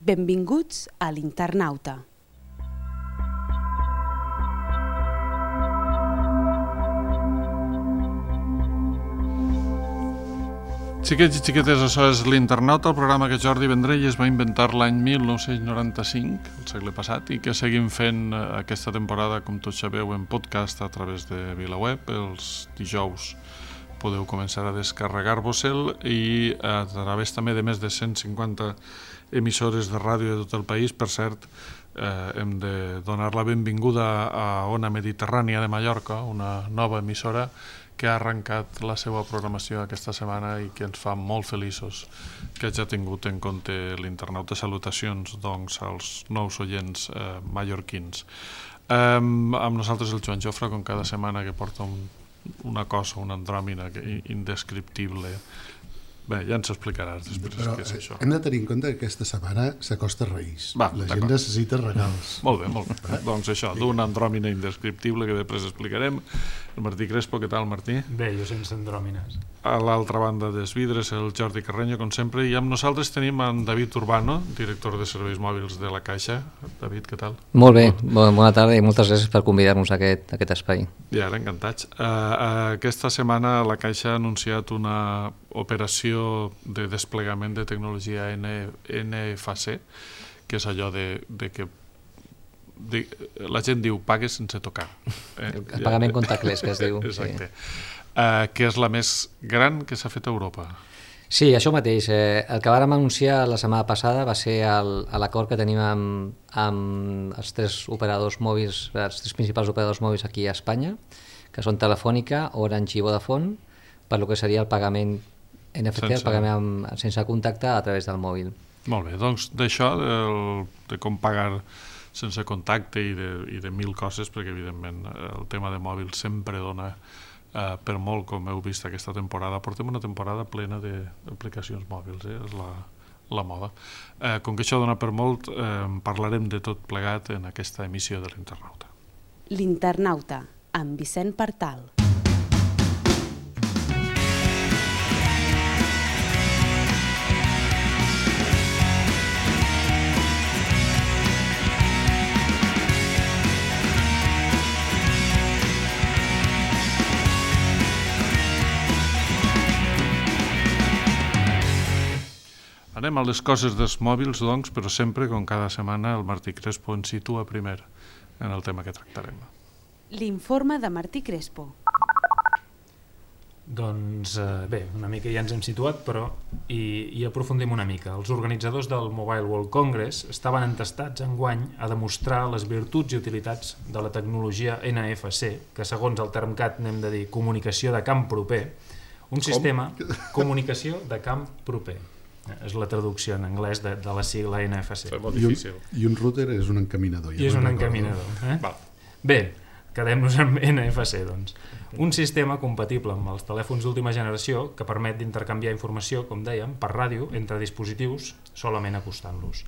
Benvinguts a l'Internauta. Xiquets i xiquetes, això és l'Internauta, el programa que Jordi Vendrell es va inventar l'any 1995, el segle passat, i que seguim fent aquesta temporada, com tots sabeu, en podcast a través de VilaWeb. Els dijous podeu començar a descarregar-vos-el i a través també de més de 150 emissores de ràdio de tot el país. Per cert, hem de donar la benvinguda a Ona Mediterrània de Mallorca, una nova emissora que ha arrencat la seva programació aquesta setmana i que ens fa molt feliços que hagi tingut en compte l'Internauta. Salutacions, doncs, als nous oients mallorquins. Amb nosaltres el Joan Jofre, com cada setmana, que porta una cosa, una andròmina indescriptible. Bé, ja ens explicaràs després què és això. Hem de tenir en compte que aquesta setmana s'acosta Reis. La gent necessita regals. Molt bé. Doncs això, d'una andròmina indescriptible que després explicarem. El Martí Crespo, què tal, Martí? Bé, jo sense andròmines. A l'altra banda dels vidres, el Jordi Carreño, com sempre, i amb nosaltres tenim en David Urbano, director de serveis mòbils de la Caixa. David, què tal? Molt bé, bona tarda i moltes gràcies per convidar-nos a aquest espai. I ara, encantats. Aquesta setmana la Caixa ha anunciat una operació de desplegament de tecnologia NFC, que és allò de que la gent diu pague sense tocar. El pagament contactless, que es diu. Exacte. Que és la més gran que s'ha fet a Europa. Sí, això mateix. El que vàrem anunciar la setmana passada va ser l'acord que tenim amb els tres operadors mòbils, els tres principals operadors mòbils aquí a Espanya, que són Telefònica, Orange i Vodafone, per lo que seria el pagament NFC, el pagament sense contacte a través del mòbil. Molt bé, doncs d'això, de com pagar sense contacte i de mil coses, perquè evidentment el tema de mòbil sempre dona per molt, com heu vist aquesta temporada. Portem una temporada plena d'aplicacions mòbils, és la moda. Com que això dona per molt, parlarem de tot plegat en aquesta emissió de l'Internauta. L'Internauta, amb Vicent Partal. Anem a les coses dels mòbils, doncs, però sempre, com cada setmana, el Martí Crespo ens situa primer en el tema que tractarem. L'informe de Martí Crespo. Doncs bé, una mica ja ens hem situat, però hi aprofundim una mica. Els organitzadors del Mobile World Congress estaven entestats enguany a demostrar les virtuts i utilitats de la tecnologia NFC, que segons el Termcat n'hem de dir comunicació de camp proper, un sistema comunicació de camp proper. És la traducció en anglès de la sigla NFC. És molt difícil. I un router és un encaminador. I és un encaminador. Bé, quedem-nos amb NFC, doncs. Un sistema compatible amb els telèfons d'última generació que permet d'intercanviar informació, com dèiem, per ràdio entre dispositius solament acostant-los.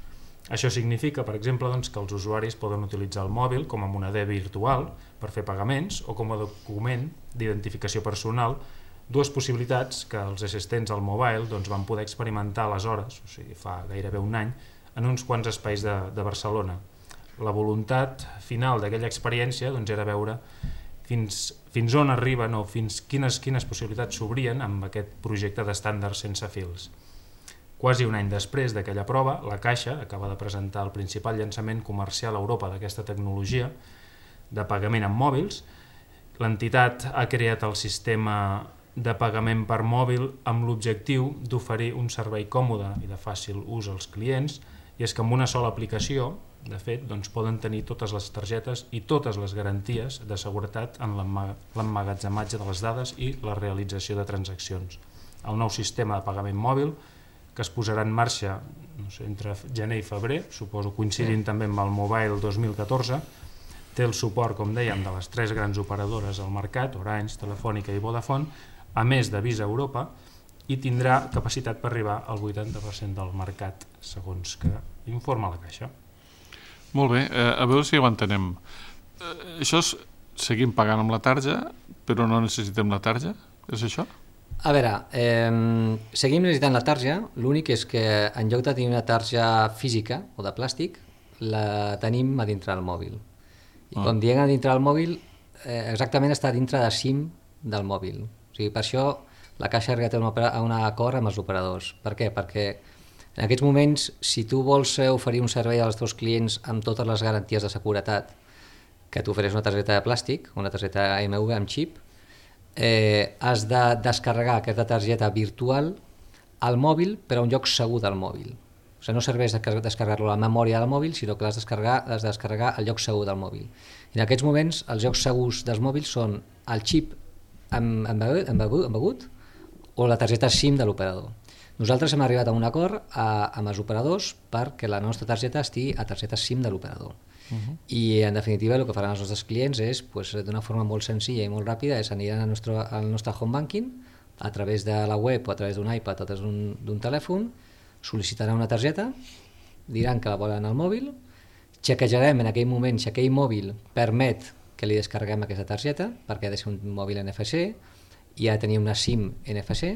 Això significa, per exemple, doncs, que els usuaris poden utilitzar el mòbil com a moneder virtual per fer pagaments o com a document d'identificació personal, dues possibilitats que els assistents al mobile doncs, van poder experimentar aleshores, o sigui, fa gairebé un any, en uns quants espais de Barcelona. La voluntat final d'aquella experiència doncs, era veure fins on arriben o fins quines possibilitats s'obrien amb aquest projecte d'estàndards sense fils. Quasi un any després d'aquella prova, la Caixa acaba de presentar el principal llançament comercial a Europa d'aquesta tecnologia de pagament amb mòbils. L'entitat ha creat el sistema de pagament per mòbil amb l'objectiu d'oferir un servei còmode i de fàcil ús als clients, i és que amb una sola aplicació, de fet, doncs poden tenir totes les targetes i totes les garanties de seguretat en l'emmagatzematge de les dades i la realització de transaccions. El nou sistema de pagament mòbil, que es posarà en marxa entre gener i febrer, suposo coincidint també amb el Mobile 2014, té el suport, com dèiem, de les tres grans operadores al mercat, Orange, Telefònica i Vodafone, a més de Visa Europa, i tindrà capacitat per arribar al 80% del mercat, segons que informa la Caixa. Molt bé, a veure si ho entenem. Això és seguim pagant amb la tarja, però no necessitem la tarja? És això? A veure, seguim necessitant la tarja, l'únic és que en lloc de tenir una tarja física o de plàstic, la tenim a dintre del mòbil. I quan diem a dintre del mòbil, exactament està dintre de SIM del mòbil. O sigui, per això la Caixa ha arribat a un acord amb els operadors. Per què? Perquè en aquests moments, si tu vols oferir un servei als teus clients amb totes les garanties de seguretat que t'ofereix una targeta de plàstic, una targeta MV amb xip, has de descarregar aquesta targeta virtual al mòbil, però a un lloc segur del mòbil. O sigui, no serveix descarregar-lo a la memòria del mòbil, sinó que l'has de descarregar al lloc segur del mòbil. I en aquests moments, els llocs segurs dels mòbils són el xip embegut o la targeta SIM de l'operador. Nosaltres hem arribat a un acord amb els operadors perquè la nostra targeta estigui a targeta SIM de l'operador. I en definitiva el que faran els nostres clients és, d'una forma molt senzilla i molt ràpida, aniran al nostre home banking a través de la web o a través d'un iPad o a través d'un telèfon, sol·licitaran una targeta, diran que la volen al mòbil, xequejarem en aquell moment si aquell mòbil permet que li descarreguem aquesta targeta, perquè ha de ser un mòbil NFC i ha de tenir una SIM NFC,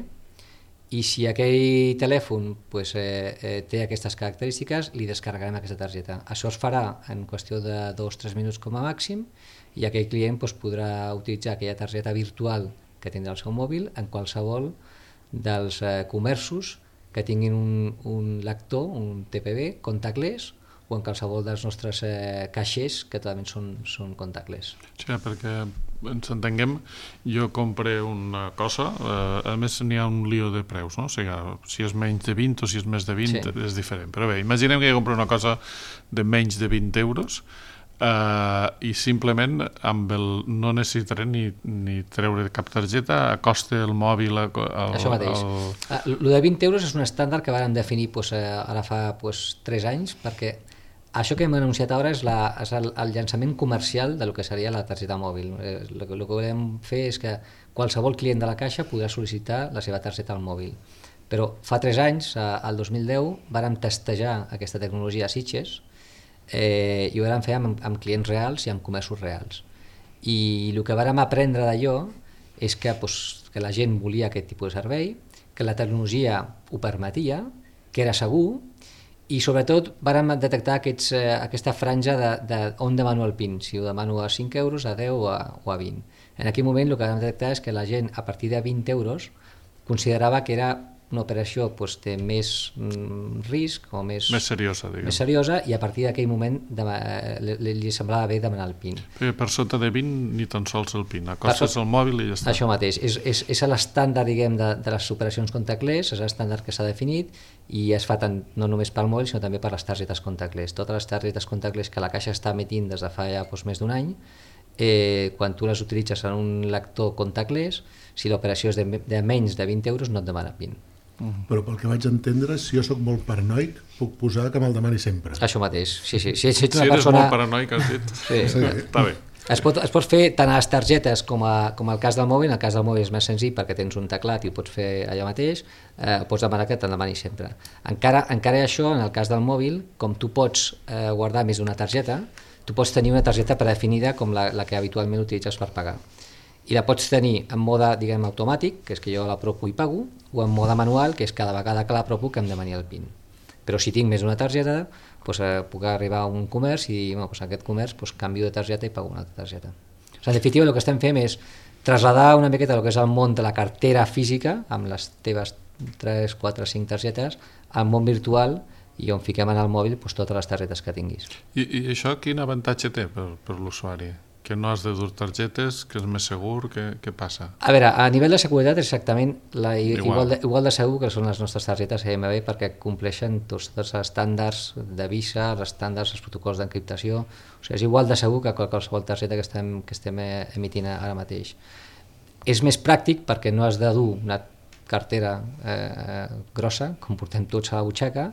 i si aquell telèfon té aquestes característiques, li descarregarem aquesta targeta. Això es farà en qüestió de 2-3 minuts com a màxim i aquell client podrà utilitzar aquella targeta virtual que tindrà al seu mòbil en qualsevol dels comerços que tinguin un lector, un TPV, contactless, o en qualsevol dels nostres caixers que també són contactless. Sí, perquè ens entenguem, jo compré una cosa, a més n'hi ha un lío de preus, no? O sigui, si és menys de 20 o si és més de 20 és diferent, però bé, imaginem que jo compro una cosa de menys de 20 euros i simplement no necessitaré ni treure cap targeta, acosta el mòbil això mateix. El de 20 euros és un estàndard que vam definir ara fa 3 anys, perquè això que hem anunciat ara és el llançament comercial del que seria la targeta mòbil. El que volem fer és que qualsevol client de la Caixa podrà sol·licitar la seva targeta al mòbil. Però fa 3 anys, al 2010, vàrem testejar aquesta tecnologia a Sitges i ho vàrem fer amb clients reals i amb comerços reals. I el que vàrem aprendre d'allò és que la gent volia aquest tipus de servei, que la tecnologia ho permetia, que era segur, i sobretot vàrem detectar aquesta franja on demano el PIN, si ho demano a 5 euros, a 10 o a 20. En aquell moment el que vam detectar és que la gent a partir de 20 euros considerava que era una operació de més risc o més seriosa, i a partir d'aquell moment li semblava bé demanar el PIN. Per sota de 20 ni tan sols el PIN, acostes el mòbil i ja està. Això mateix, és l'estàndard de les operacions contactless, és l'estàndard que s'ha definit i es fa no només pel mòbil sinó també per les targetes contactless. Totes les targetes contactless que la Caixa està emitint des de fa ja més d'un any, quan tu les utilitzes en un lector contactless, si l'operació és de menys de 20 euros no et demana PIN. Però pel que vaig entendre, si jo sóc molt paranoic, puc posar que me'l demani sempre. Això mateix, sí. Si ets una persona... eres molt paranoic, has dit. Sí. Està bé. Es pot fer tant a les targetes com al cas del mòbil. En el cas del mòbil és més senzill perquè tens un teclat i ho pots fer allà mateix, pots demanar que te'n demani sempre. Encara això, en el cas del mòbil, com tu pots guardar més d'una targeta, tu pots tenir una targeta predefinida com la que habitualment utilitzes per pagar. I la pots tenir en mode, diguem, automàtic, que és que jo l'apropo i pago, o en mode manual, que és cada vegada que l'apropo que em demani el PIN. Però si tinc més d'una targeta, puc arribar a un comerç i dir, en aquest comerç canvio de targeta i pago una altra targeta. En definitiva, el que estem fent és traslladar una miqueta el que és el món de la cartera física, amb les teves 3, 4, 5 targetes, al món virtual i on fiquem en el mòbil totes les targetes que tinguis. I això quin avantatge té per l'usuari? Que no has de dur targetes, que és més segur, què passa? A veure, a nivell de seguretat és exactament igual de segur que són les nostres targetes EMV perquè compleixen tots els estàndards de Visa, els estàndards, els protocols d'encriptació, o sigui, és igual de segur que qualsevol targeta que estem emitint ara mateix. És més pràctic perquè no has de dur una cartera grossa, com portem tots a la butxaca,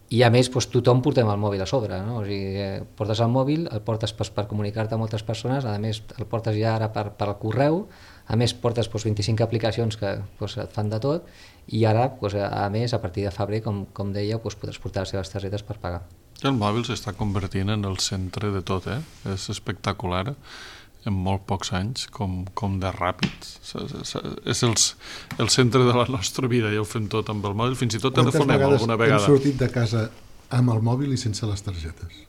i a més tothom portem el mòbil a sobre, no? O sigui, portes el mòbil, el portes per comunicar-te amb moltes persones, a més el portes ja ara per correu, a més portes 25 aplicacions que et fan de tot i ara, a més, a partir de febrer, com deia, podràs portar les seves targetes per pagar. El mòbil s'està convertint en el centre de tot, és espectacular. en molt pocs anys, com de ràpid. És el centre de la nostra vida, ja ho fem tot amb el mòbil, fins i tot telefonem alguna vegada. Hem sortit de casa amb el mòbil i sense les targetes,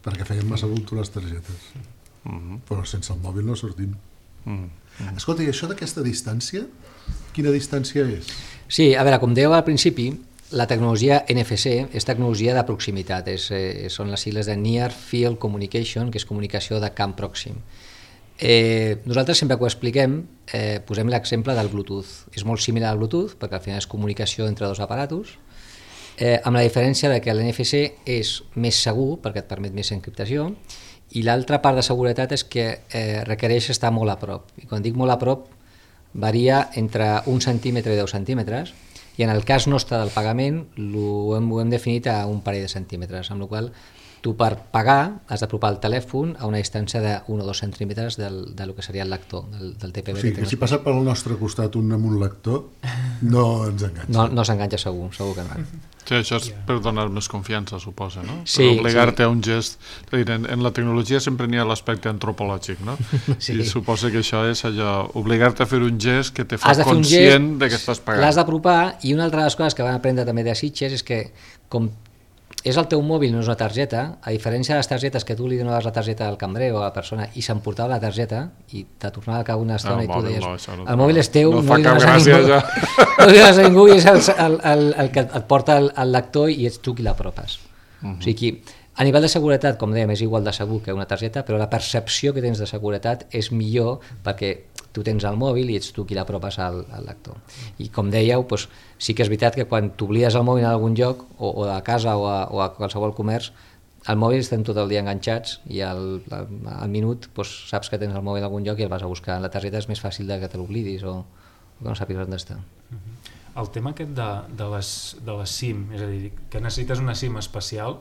perquè feien massa bulto les targetes. Però sense el mòbil no sortim. Escolta, i això d'aquesta distància, quina distància és? Sí, a veure, com dèieu al principi, la tecnologia NFC és tecnologia de proximitat, són les sigles de Near Field Communication, que és comunicació de camp pròxim. Nosaltres sempre que ho expliquem posem l'exemple del Bluetooth. És molt similar al Bluetooth perquè al final és comunicació entre dos aparatos, amb la diferència de que l'NFC és més segur perquè et permet més encriptació, i l'altra part de seguretat és que requereix estar molt a prop. I quan dic molt a prop varia entre 1 centímetre i 10 centímetres, i en el cas nostre del pagament ho hem definit a un parell de centímetres, amb la qual cosa tu per pagar has d'apropar el telèfon a una distància de 1 o 2 centímetres del que seria el lector, del TPB. O sigui, que si passa pel nostre costat un amb un lector, no ens enganxa. No s'enganxa segur que no. Sí, això és per donar més confiança, suposa, no? Sí, per obligar-te a un gest. En la tecnologia sempre n'hi ha l'aspecte antropològic, no? Sí. I suposa que això és allò, obligar-te a fer un gest que te fa conscient de que estàs pagant. L'has d'apropar, i una altra de les coses que van aprendre també de Sitges és que, com és el teu mòbil, no és una targeta, a diferència de les targetes que tu li donaves la targeta al cambrer o a la persona i s'emportava la targeta i te tornava a cabo una estona i tu deies el mòbil és teu, no li dones a ningú i és el que et porta el lector i ets tu qui l'apropes. O sigui, a nivell de seguretat, com dèiem, és igual de segur que una targeta, però la percepció que tens de seguretat és millor perquè tu tens el mòbil i ets tu qui l'apropes al lector. I com dèieu, doncs, sí que és veritat que quan t'oblides el mòbil en algun lloc, o a casa o a qualsevol comerç, el mòbil estem tot el dia enganxats i al minut doncs, saps que tens el mòbil en algun lloc i el vas a buscar. La targeta és més fàcil que te l'oblidis o que no sàpigues on està. El tema aquest de les SIM, és a dir, que necessites una SIM especial,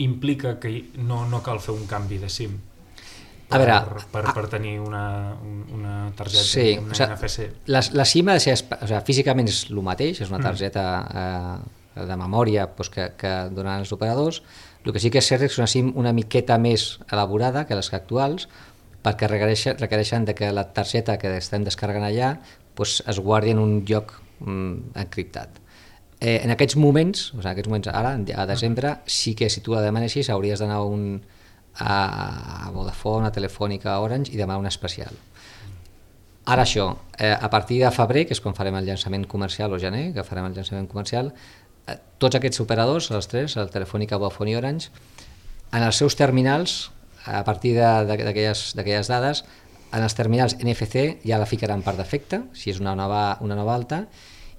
implica que no cal fer un canvi de SIM per tenir una targeta, sí, una NFC. La SIM ha de ser, físicament és el mateix, és una targeta de memòria que donen els operadors. El que sí que és cert és una SIM una miqueta més elaborada que les actuals, perquè requereixen que la targeta que estem descarregant allà es guardi en un lloc encriptat. En aquests moments, ara, a desembre, sí que si tu la demanessis hauries d'anar a Vodafone, a Telefònica, a Orange i demanar una especial. Ara això, a partir de febrer, que és quan farem el llançament comercial, o gener, que farem el llançament comercial, tots aquests operadors, els tres, el Telefònica, Vodafone i Orange, en els seus terminals, a partir d'aquelles dades, en els terminals NFC ja la ficaran per defecte, si és una nova alta,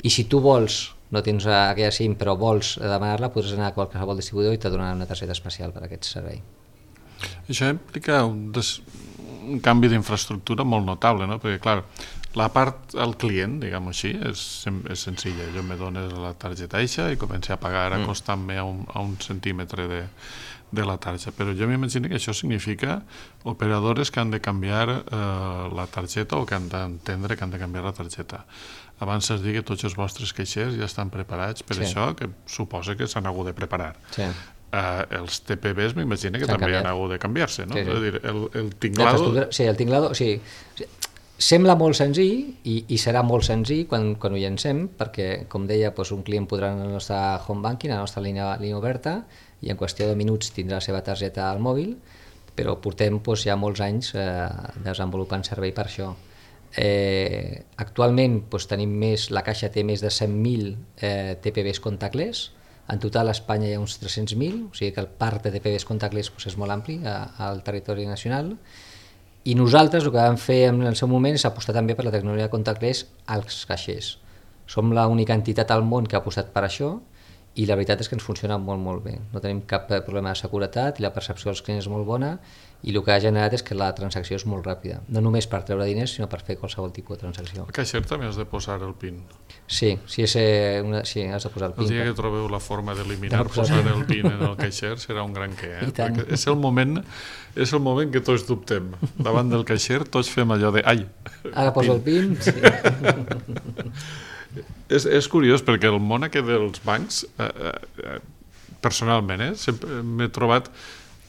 i si tu vols, no tens aquella SIM però vols demanar-la, podràs anar a qualsevol distribuïdor i te donaran una targeta especial per a aquest servei. Això implica un canvi d'infraestructura molt notable, no? Perquè, clar, la part al client, diguem-ho així, és senzilla. Jo me dones la targeta eixa i començo a pagar acostant-me a un centímetre de la targeta. Però jo m'imagino que això significa operadores que han de canviar la targeta o que han d'entendre que han de canviar la targeta. Abans es digui que tots els vostres caixers ja estan preparats per això, que suposa que s'han hagut de preparar. Sí. Els TPBs m'imagino que també han hagut de canviar-se, no? Sí. És a dir, el tinglado... Sí, el tinglado, sí. Sembla molt senzill i serà molt senzill quan ho llancem, perquè, com deia, un client podrà anar al nostre home banking, a la nostra línia oberta, i en qüestió de minuts tindrà la seva targeta al mòbil, però portem ja molts anys desenvolupant servei per això. Actualment tenim la Caixa té més de 100.000 TPBs contactless. En total a Espanya hi ha uns 300.000, o sigui que el parc de TPBs contactless és molt ampli al territori nacional, i nosaltres el que vam fer en el seu moment és apostar també per la tecnologia contactless als caixers. Som l'única entitat al món que ha apostat per això i la veritat és que ens funciona molt, molt bé. No tenim cap problema de seguretat i la percepció dels clients és molt bona, i el que ha generat és que la transacció és molt ràpida, no només per treure diners sinó per fer qualsevol tipus de transacció. Al caixer també has de posar el PIN. Sí, has de posar el PIN. El dia que trobeu la forma d'eliminar posar el PIN en el caixer serà un gran què, perquè és el moment que tots dubtem. Davant del caixer tots fem allò de ai, ara poso el PIN. Sí. És curiós perquè el món aquest dels bancs, personalment, sempre m'he trobat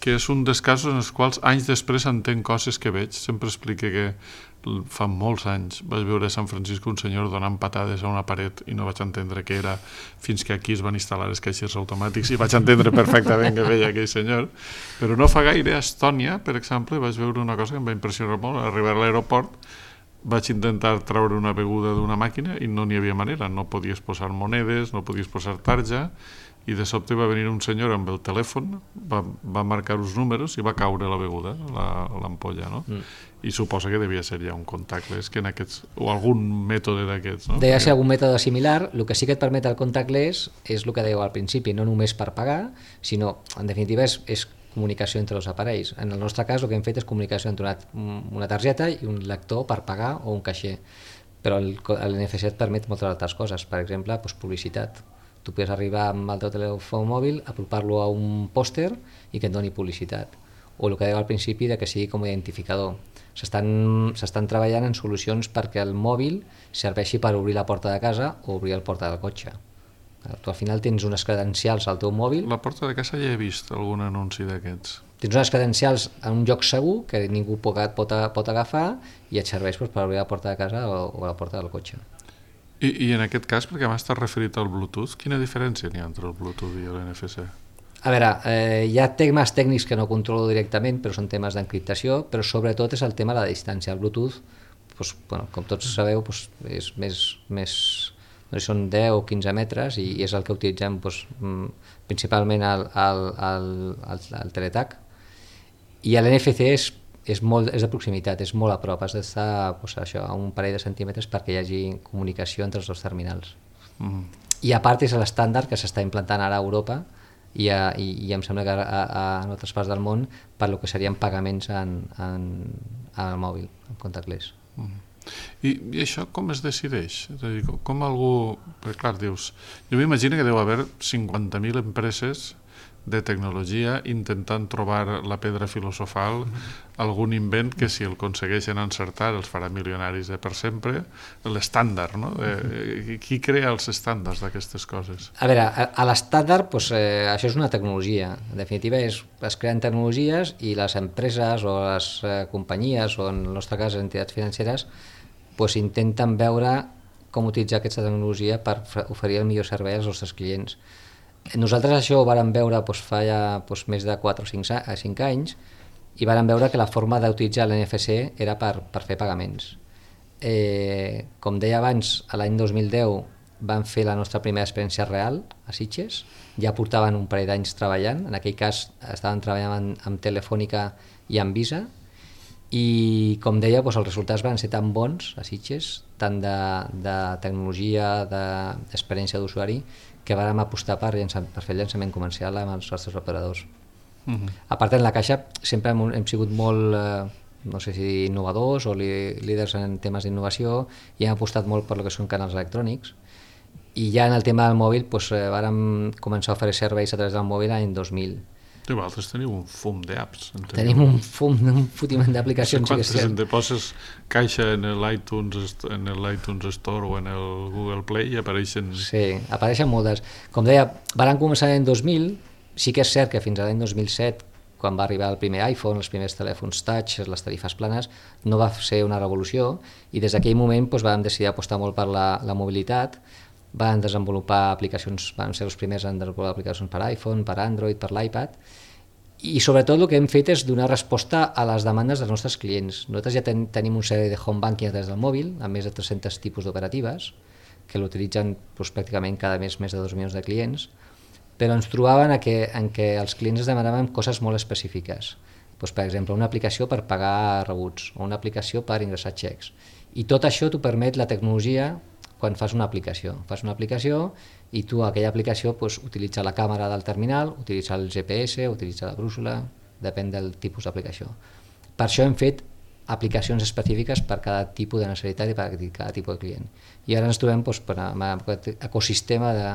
que és un dels casos en els quals anys després entenc coses que veig. Sempre explique que fa molts anys vaig veure a San Francisco un senyor donant patades a una paret i no vaig entendre què era fins que aquí es van instal·lar els caixers automàtics i vaig entendre perfectament què feia aquell senyor. Però no fa gaire a Estònia, per exemple, vaig veure una cosa que em va impressionar molt. Al arribar a l'aeroport vaig intentar treure una beguda d'una màquina i no n'hi havia manera. No podies posar monedes, no podies posar tarja, i de sobte va venir un senyor amb el telèfon, va marcar uns números i va caure la beguda, l'ampolla, no? I suposa que devia ser ja un contactless que en aquests, o algun mètode d'aquests, no? Devia ser algun mètode similar. El que sí que et permet el contactless és el que dèieu al principi, no només per pagar, sinó, en definitiva, és comunicació entre els aparells. En el nostre cas el que hem fet és comunicació entre una targeta i un lector per pagar o un caixer, però l'NFC et permet moltes altres coses, per exemple, publicitat. Tu podes arribar amb el teu telèfon mòbil, apropar-lo a un pòster i que et doni publicitat. O el que deia al principi de que sigui com a identificador. S'estan treballant en solucions perquè el mòbil serveixi per obrir la porta de casa o obrir la porta del cotxe. Tu al final tens unes credencials al teu mòbil. La porta de casa ja he vist algun anunci d'aquests. Tens unes credencials en un lloc segur que ningú pot agafar i et serveix per obrir la porta de casa o la porta del cotxe. I en aquest cas, perquè m'has estat referit al Bluetooth, quina diferència n'hi ha entre el Bluetooth i l'NFC? A veure, hi ha temes tècnics que no controlo directament, però són temes d'encriptació, però sobretot és el tema de la distància. El Bluetooth, com tots sabeu, és més són 10 o 15 metres i és el que utilitzem principalment al Teletac. I l'NFC és de proximitat, és molt a prop, has d'estar a un parell de centímetres perquè hi hagi comunicació entre els dos terminals. I a part és l'estàndard que s'està implantant ara a Europa i em sembla que en altres parts del món per lo que serien pagaments al mòbil, en contactless. I això com es decideix? És a dir, com algú... Perquè clar, dius... Jo m'imagino que deu haver 50.000 empreses de tecnologia intentant trobar la pedra filosofal, algun invent que si el aconsegueixen encertar els farà milionaris per sempre, l'estàndard, no? Qui crea els estàndards d'aquestes coses? A veure, a l'estàndard això és una tecnologia. En definitiva es creen tecnologies i les empreses o les companyies o en el nostre cas entitats financeres intenten veure com utilitzar aquesta tecnologia per oferir el millor servei als nostres clients. Nosaltres això ho vàrem veure fa ja més de 4 o 5 anys i vàrem veure que la forma d'utilitzar l'NFC era per fer pagaments. Com deia abans, l'any 2010 vam fer la nostra primera experiència real a Sitges, ja portaven un parell d'anys treballant, en aquell cas estaven treballant amb Telefònica i amb Visa, i com deia, els resultats van ser tan bons a Sitges, tant de tecnologia, d'experiència d'usuari, que vàrem apostar per fer el llançament comercial amb els nostres operadors. A part, en la Caixa sempre hem sigut molt, no sé si innovadors o líders en temes d'innovació i hem apostat molt per el que són canals electrònics. I ja en el tema del mòbil vàrem començar a oferir serveis a través del mòbil l'any 2000. I vosaltres teniu un fum d'apps. Tenim un fotiment d'aplicacions. Quantes en te poses Caixa en l'iTunes Store o en el Google Play i apareixen... Sí, apareixen moltes. Com deia, vàrem començar l'any 2000, sí que és cert que fins a l'any 2007, quan va arribar el primer iPhone, els primers telèfons touch, les tarifes planes, no va ser una revolució i des d'aquell moment vam decidir apostar molt per la mobilitat. Van desenvolupar aplicacions, van ser els primers en desenvolupar aplicacions per iPhone, per Android, per l'iPad, i sobretot el que hem fet és donar resposta a les demandes dels nostres clients. Nosaltres ja tenim un servei de home banking a través del mòbil, amb més de 300 tipus d'operatives, que l'utilitzen pràcticament cada mes més de 2 milions de clients, però ens trobaven en què els clients es demanaven coses molt específiques. Per exemple, una aplicació per pagar rebuts, o una aplicació per ingressar xecs. I tot això t'ho permet la tecnologia quan fas una aplicació. Fas una aplicació i tu aquella aplicació utilitza la càmera del terminal, utilitza el GPS, utilitza la brúixola, depèn del tipus d'aplicació. Per això hem fet aplicacions específiques per cada tipus de necessitat i per cada tipus de client. I ara ens trobem amb aquest ecosistema de,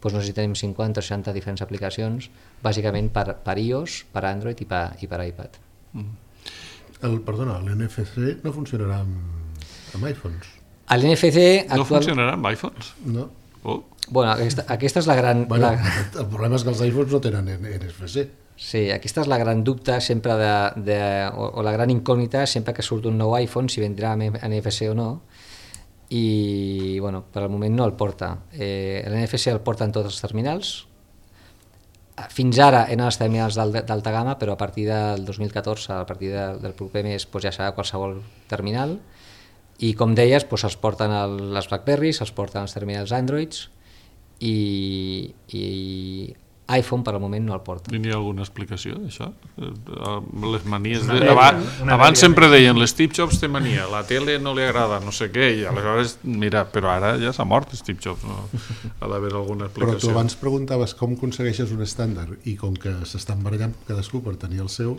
no sé si tenim 50 o 60 diferents aplicacions, bàsicament per iOS, per Android i per iPad. Perdona, l'NFC no funcionarà amb iPhones? L'NFC no funcionarà amb iPhones? No. Bueno, aquesta és la gran... Bueno, el problema és que els iPhones no tenen NFC. Sí, aquesta és la gran dubte sempre o la gran incògnita sempre que surt un nou iPhone, si vendrà amb NFC o no, i bueno, per al moment no el porta. L'NFC el porta en tots els terminals, fins ara eren els terminals d'alta gamma, però a partir del 2014, a partir del proper mes, doncs ja serà qualsevol terminal, i com deies, doncs els porten les BlackBerrys, els porten els terminals Androids, i iPhone per al moment no el porta. I n'hi ha alguna explicació d'això? Les manies... Abans sempre deien l'Steve Jobs té mania, la tele no li agrada, no sé què, i aleshores, mira, però ara ja s'ha mort Steve Jobs, no? Ha d'haver alguna explicació. Però tu abans preguntaves com aconsegueixes un estàndard, i com que s'estan barallant cadascú per tenir el seu,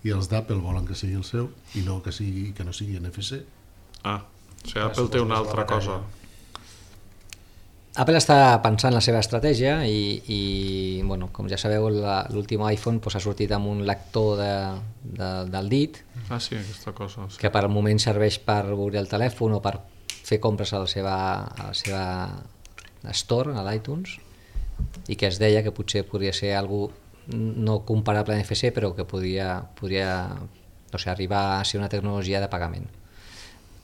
i els d'Apple volen que sigui el seu, i no que no sigui NFC. O sigui, Apple té una altra cosa. Apple està pensant la seva estratègia i bueno, com ja sabeu, l'últim iPhone ha sortit amb un lector del dit, Sí, aquesta cosa. Sí. Que per al moment serveix per obrir el telèfon o per fer compres a la seva store, a l'iTunes, i que es deia que potser podria ser algo no comparable a NFC, però que podria arribar a ser una tecnologia de pagament.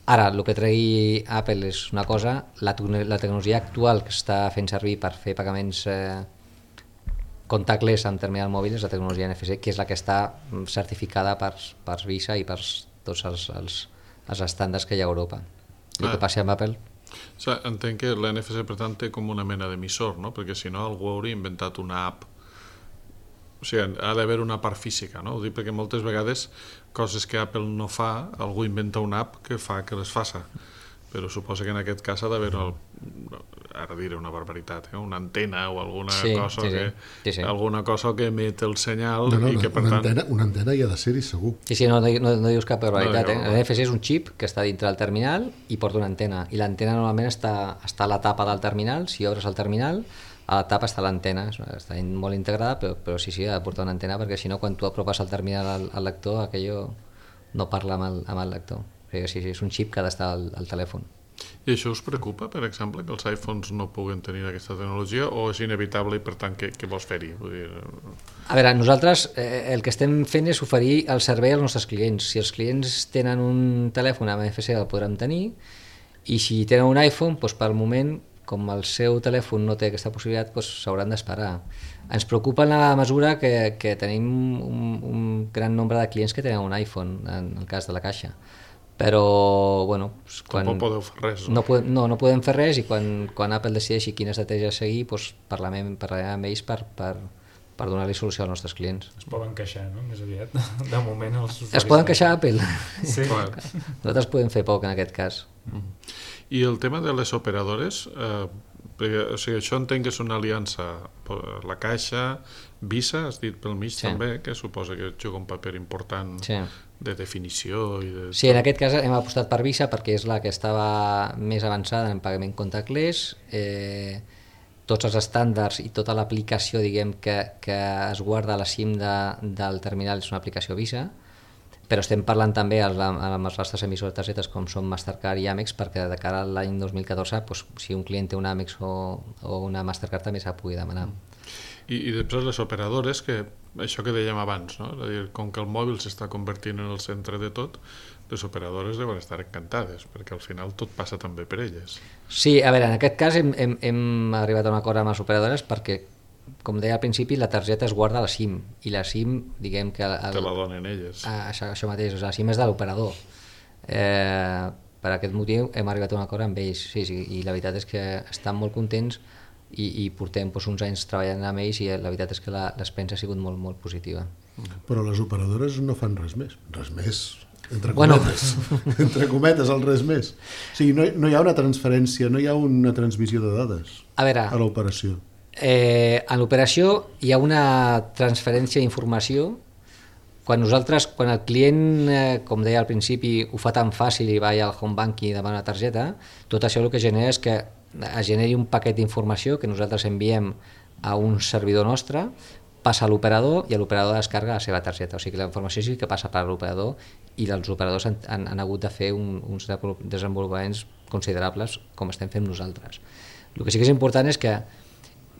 Ara, el que tregui Apple és una cosa, la tecnologia actual que està fent servir per fer pagaments contactless amb terminal mòbil és la tecnologia NFC, que és la que està certificada per Visa i per tots els estàndards que hi ha a Europa. El que passi amb Apple... Entenc que l'NFC, per tant, té com una mena d'emissor, no? Perquè si no algú hauria inventat una app. O sigui, ha d'haver una part física, no? Ho dic perquè moltes vegades coses que Apple no fa, algú inventa una app que fa que les faça. Però suposa que en aquest cas ha d'haver, ara diré una barbaritat, una antena o alguna alguna cosa que emet el senyal i que per tant... Una antena hi ha de ser-hi segur. Sí, no dius cap barbaritat. L'NFC és un xip que està dintre del terminal i porta una antena. I l'antena normalment està a la tapa del terminal. Si obres el terminal, a la tapa està l'antena, està molt integrada, però sí, ha de portar una antena, perquè si no, quan tu apropes el terminal al lector, aquello no parla amb el lector. O sigui, és un xip que ha d'estar al telèfon. I això us preocupa, per exemple, que els iPhones no puguen tenir aquesta tecnologia, o és inevitable i per tant què vols fer-hi? A veure, nosaltres el que estem fent és oferir el servei als nostres clients. Si els clients tenen un telèfon amb NFC el podrem tenir, i si tenen un iPhone, doncs per al moment, com el seu telèfon no té aquesta possibilitat, s'hauran d'esperar. Ens preocupa en la mesura que tenim un gran nombre de clients que tenen un iPhone, en el cas de la Caixa. Però, bueno... No podeu fer res, no? No podem fer res, i quan Apple decideixi quina estratègia seguir, parlarem amb ells per donar-li solució als nostres clients. Es poden queixar, no?, més aviat. De moment els usuaris... Es poden queixar a Apple? Sí. Nosaltres podem fer poc en aquest cas. I el tema de les operadores, perquè, o sigui, això entenc que és una aliança, la Caixa, Visa, has dit pel mig també, que suposa que juga un paper important de definició i de... Sí, en aquest cas hem apostat per Visa perquè és la que estava més avançada en pagament contactless. Tots els estàndards i tota l'aplicació, diguem, que es guarda a la SIM del terminal és una aplicació Visa, però estem parlant també amb els nostres emissors de targetes com són Mastercard i Amex, perquè de cara a l'any 2014, si un client té una Amex o una Mastercard també s'ha pugui demanar. I després les operadores, que això que dèiem abans, no? És a dir, com que el mòbil s'està convertint en el centre de tot, les operadores deuen estar encantades, perquè al final tot passa també per elles. Sí, a veure, en aquest cas hem arribat a un acord amb les operadores perquè, com deia al principi, la targeta es guarda a la SIM, i la SIM, diguem que... Te la donen elles. Això mateix, la SIM és de l'operador. Per aquest motiu hem arribat a un acord amb ells, sí, i la veritat és que estan molt contents i portem uns anys treballant amb ells, i la veritat és que l'experiència ha sigut molt, molt positiva. Però les operadores no fan res més, entre cometes, entre cometes el res més. O sigui, no hi ha una transferència, no hi ha una transmissió de dades a l'operació. En l'operació hi ha una transferència d'informació. Quan el client, com deia al principi, ho fa tan fàcil i va al home banking i demana una targeta, tot això el que genera és que es generi un paquet d'informació que nosaltres enviem a un servidor nostre, passa a l'operador i l'operador descarga la seva targeta. O sigui que la informació sí que passa per l'operador, i els operadors han hagut de fer uns desenvolupaments considerables com estem fent nosaltres. El que sí que és important és que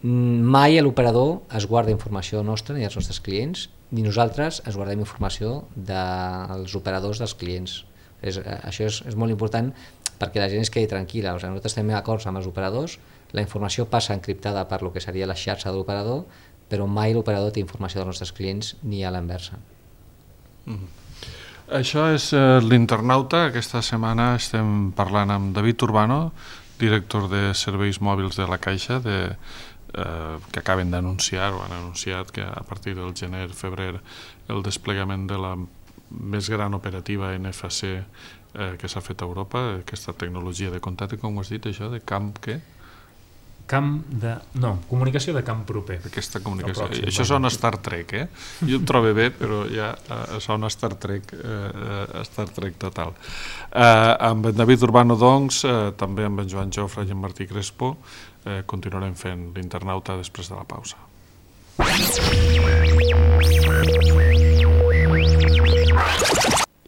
mai l'operador es guarda informació nostra ni dels nostres clients, ni nosaltres es guardem informació dels operadors dels clients. Això és molt important perquè la gent es quedi tranquil·la. O sigui, nosaltres tenim acords amb els operadors, la informació passa encriptada per lo que seria la xarxa de l'operador, però mai l'operador té informació dels nostres clients ni a l'inversa. Això és l'Internauta. Aquesta setmana estem parlant amb David Urbano, director de serveis mòbils de la Caixa, que acaben d'anunciar, o han anunciat que a partir del gener-febrer el desplegament de la més gran operativa NFC que s'ha fet a Europa, aquesta tecnologia de contacte, com ho has dit, això, de camp què? Comunicació de camp proper. Aquesta comunicació. Això sona Star Trek, Jo ho trobo bé, però ja sona Star Trek total. Amb en David Urbano, doncs, també amb en Joan Jofre i en Martí Crespo, continuarem fent l'Internauta després de la pausa.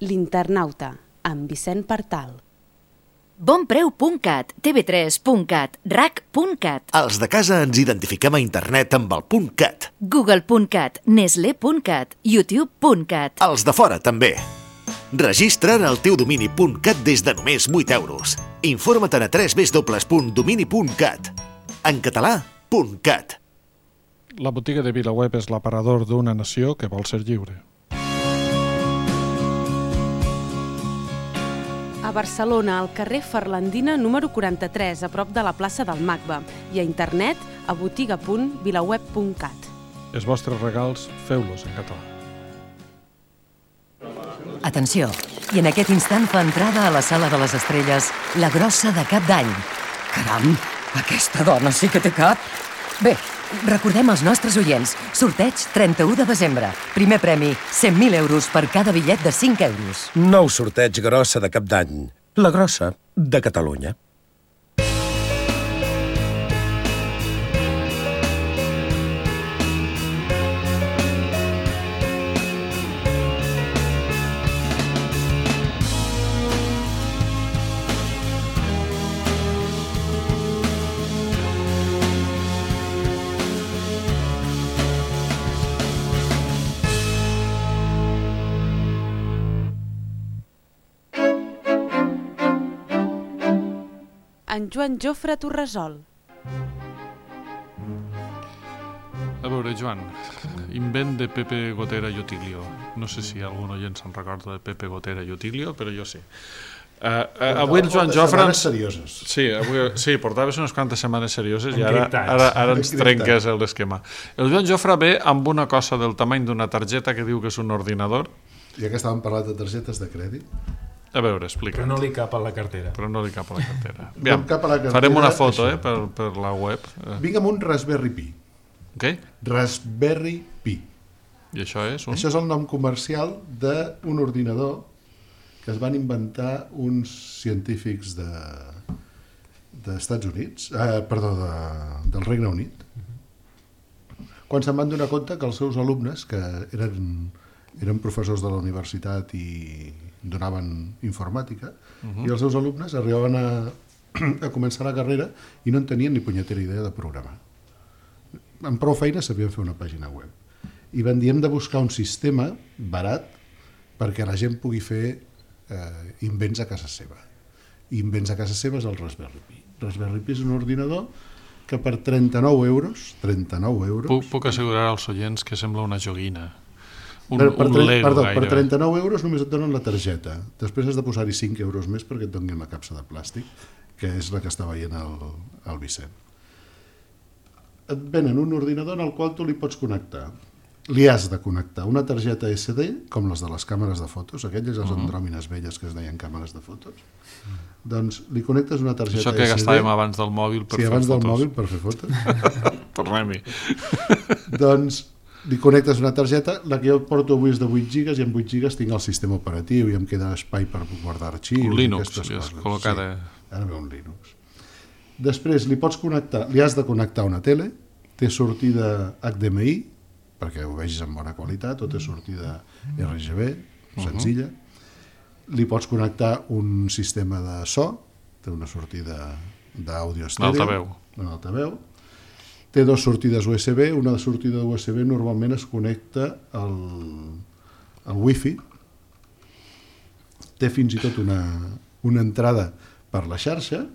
L'Internauta, amb Vicent Partal. Bonpreu.cat, tv3.cat, rac.cat. Els de casa ens identifiquem a internet amb el .cat. Google.cat, Nestlé.cat, YouTube.cat. Els de fora també. Registra't el teu domini .cat des de només 8 euros. Informa't a www.domini.cat. En català, .cat. La botiga de VilaWeb és l'aparador d'una nació que vol ser lliure. A Barcelona, al carrer Ferlandina número 43, a prop de la plaça del MACBA, i a internet a botiga.vilaweb.cat. Els vostres regals, feu-los en català. Atenció, i en aquest instant fa entrada a la sala de les estrelles la grossa de Cap d'Any. Caram, aquesta dona sí que té cap. Bé, recordem als nostres oients, sorteig 31 de desembre. Primer premi, 100.000 euros per cada bitllet de 5 euros. Nou sorteig grossa de Cap d'Any. La grossa de Catalunya. En Joan Jofre Torresol. A veure, Joan, invent de Pepe Gotera i Otilio. No sé si algun oient se'n recorda de Pepe Gotera i Otilio, però jo sí. Avui el Joan Jofre... serioses. Sí, portaves unes quantes setmanes serioses i ara ens trenques l'esquema. El Joan Jofre ve amb una cosa del tamany d'una targeta que diu que és un ordinador. Ja que estàvem parlant de targetes de crèdit. A veure, explica. Però no li cap a la cartera. Aviam, farem una foto per la web. Vinc amb un Raspberry Pi. Què? Raspberry Pi. I això és? Això és el nom comercial d'un ordinador que es van inventar uns científics d'Estats Units, del Regne Unit, quan se'n van donar compte que els seus alumnes, que eren professors de la universitat i donaven informàtica, i els seus alumnes arribaven a començar la carrera i no en tenien ni punyetera idea de programar. Amb prou feina sabien fer una pàgina web. I van dir, hem de buscar un sistema barat perquè la gent pugui fer invents a casa seva. I invents a casa seva és el Raspberry Pi. Raspberry Pi és un ordinador que per 39 euros... Puc assegurar als oients que sembla una joguina. Per 39 euros només et donen la targeta. Després has de posar-hi 5 euros més perquè et donin la capsa de plàstic, que és la que està veient el Vicent. Et venen un ordinador en el qual tu li pots connectar. Li has de connectar una targeta SD, com les de les càmeres de fotos, aquelles les andròmines velles que es deien càmeres de fotos. Doncs li connectes una targeta SD... Això que gastàvem abans del mòbil per fer fotos. Sí, abans del mòbil per fer fotos. Tornem-hi. Doncs li connectes una targeta, la que jo porto avui és de 8 gigas i amb 8 gigas tinc el sistema operatiu i em queda espai per guardar arxius. Un Linux, li has col·locat. Ara ve un Linux. Després li pots connectar, li has de connectar una tele, té sortida HDMI, perquè ho vegis en bona qualitat, o té sortida RGB, senzilla. Li pots connectar un sistema de so, té una sortida d'àudio estèreo. Altaveu. En altaveu. Té 2 sortides USB. Una sortida USB normalment es connecta al Wi-Fi. Té fins i tot una entrada per la xarxa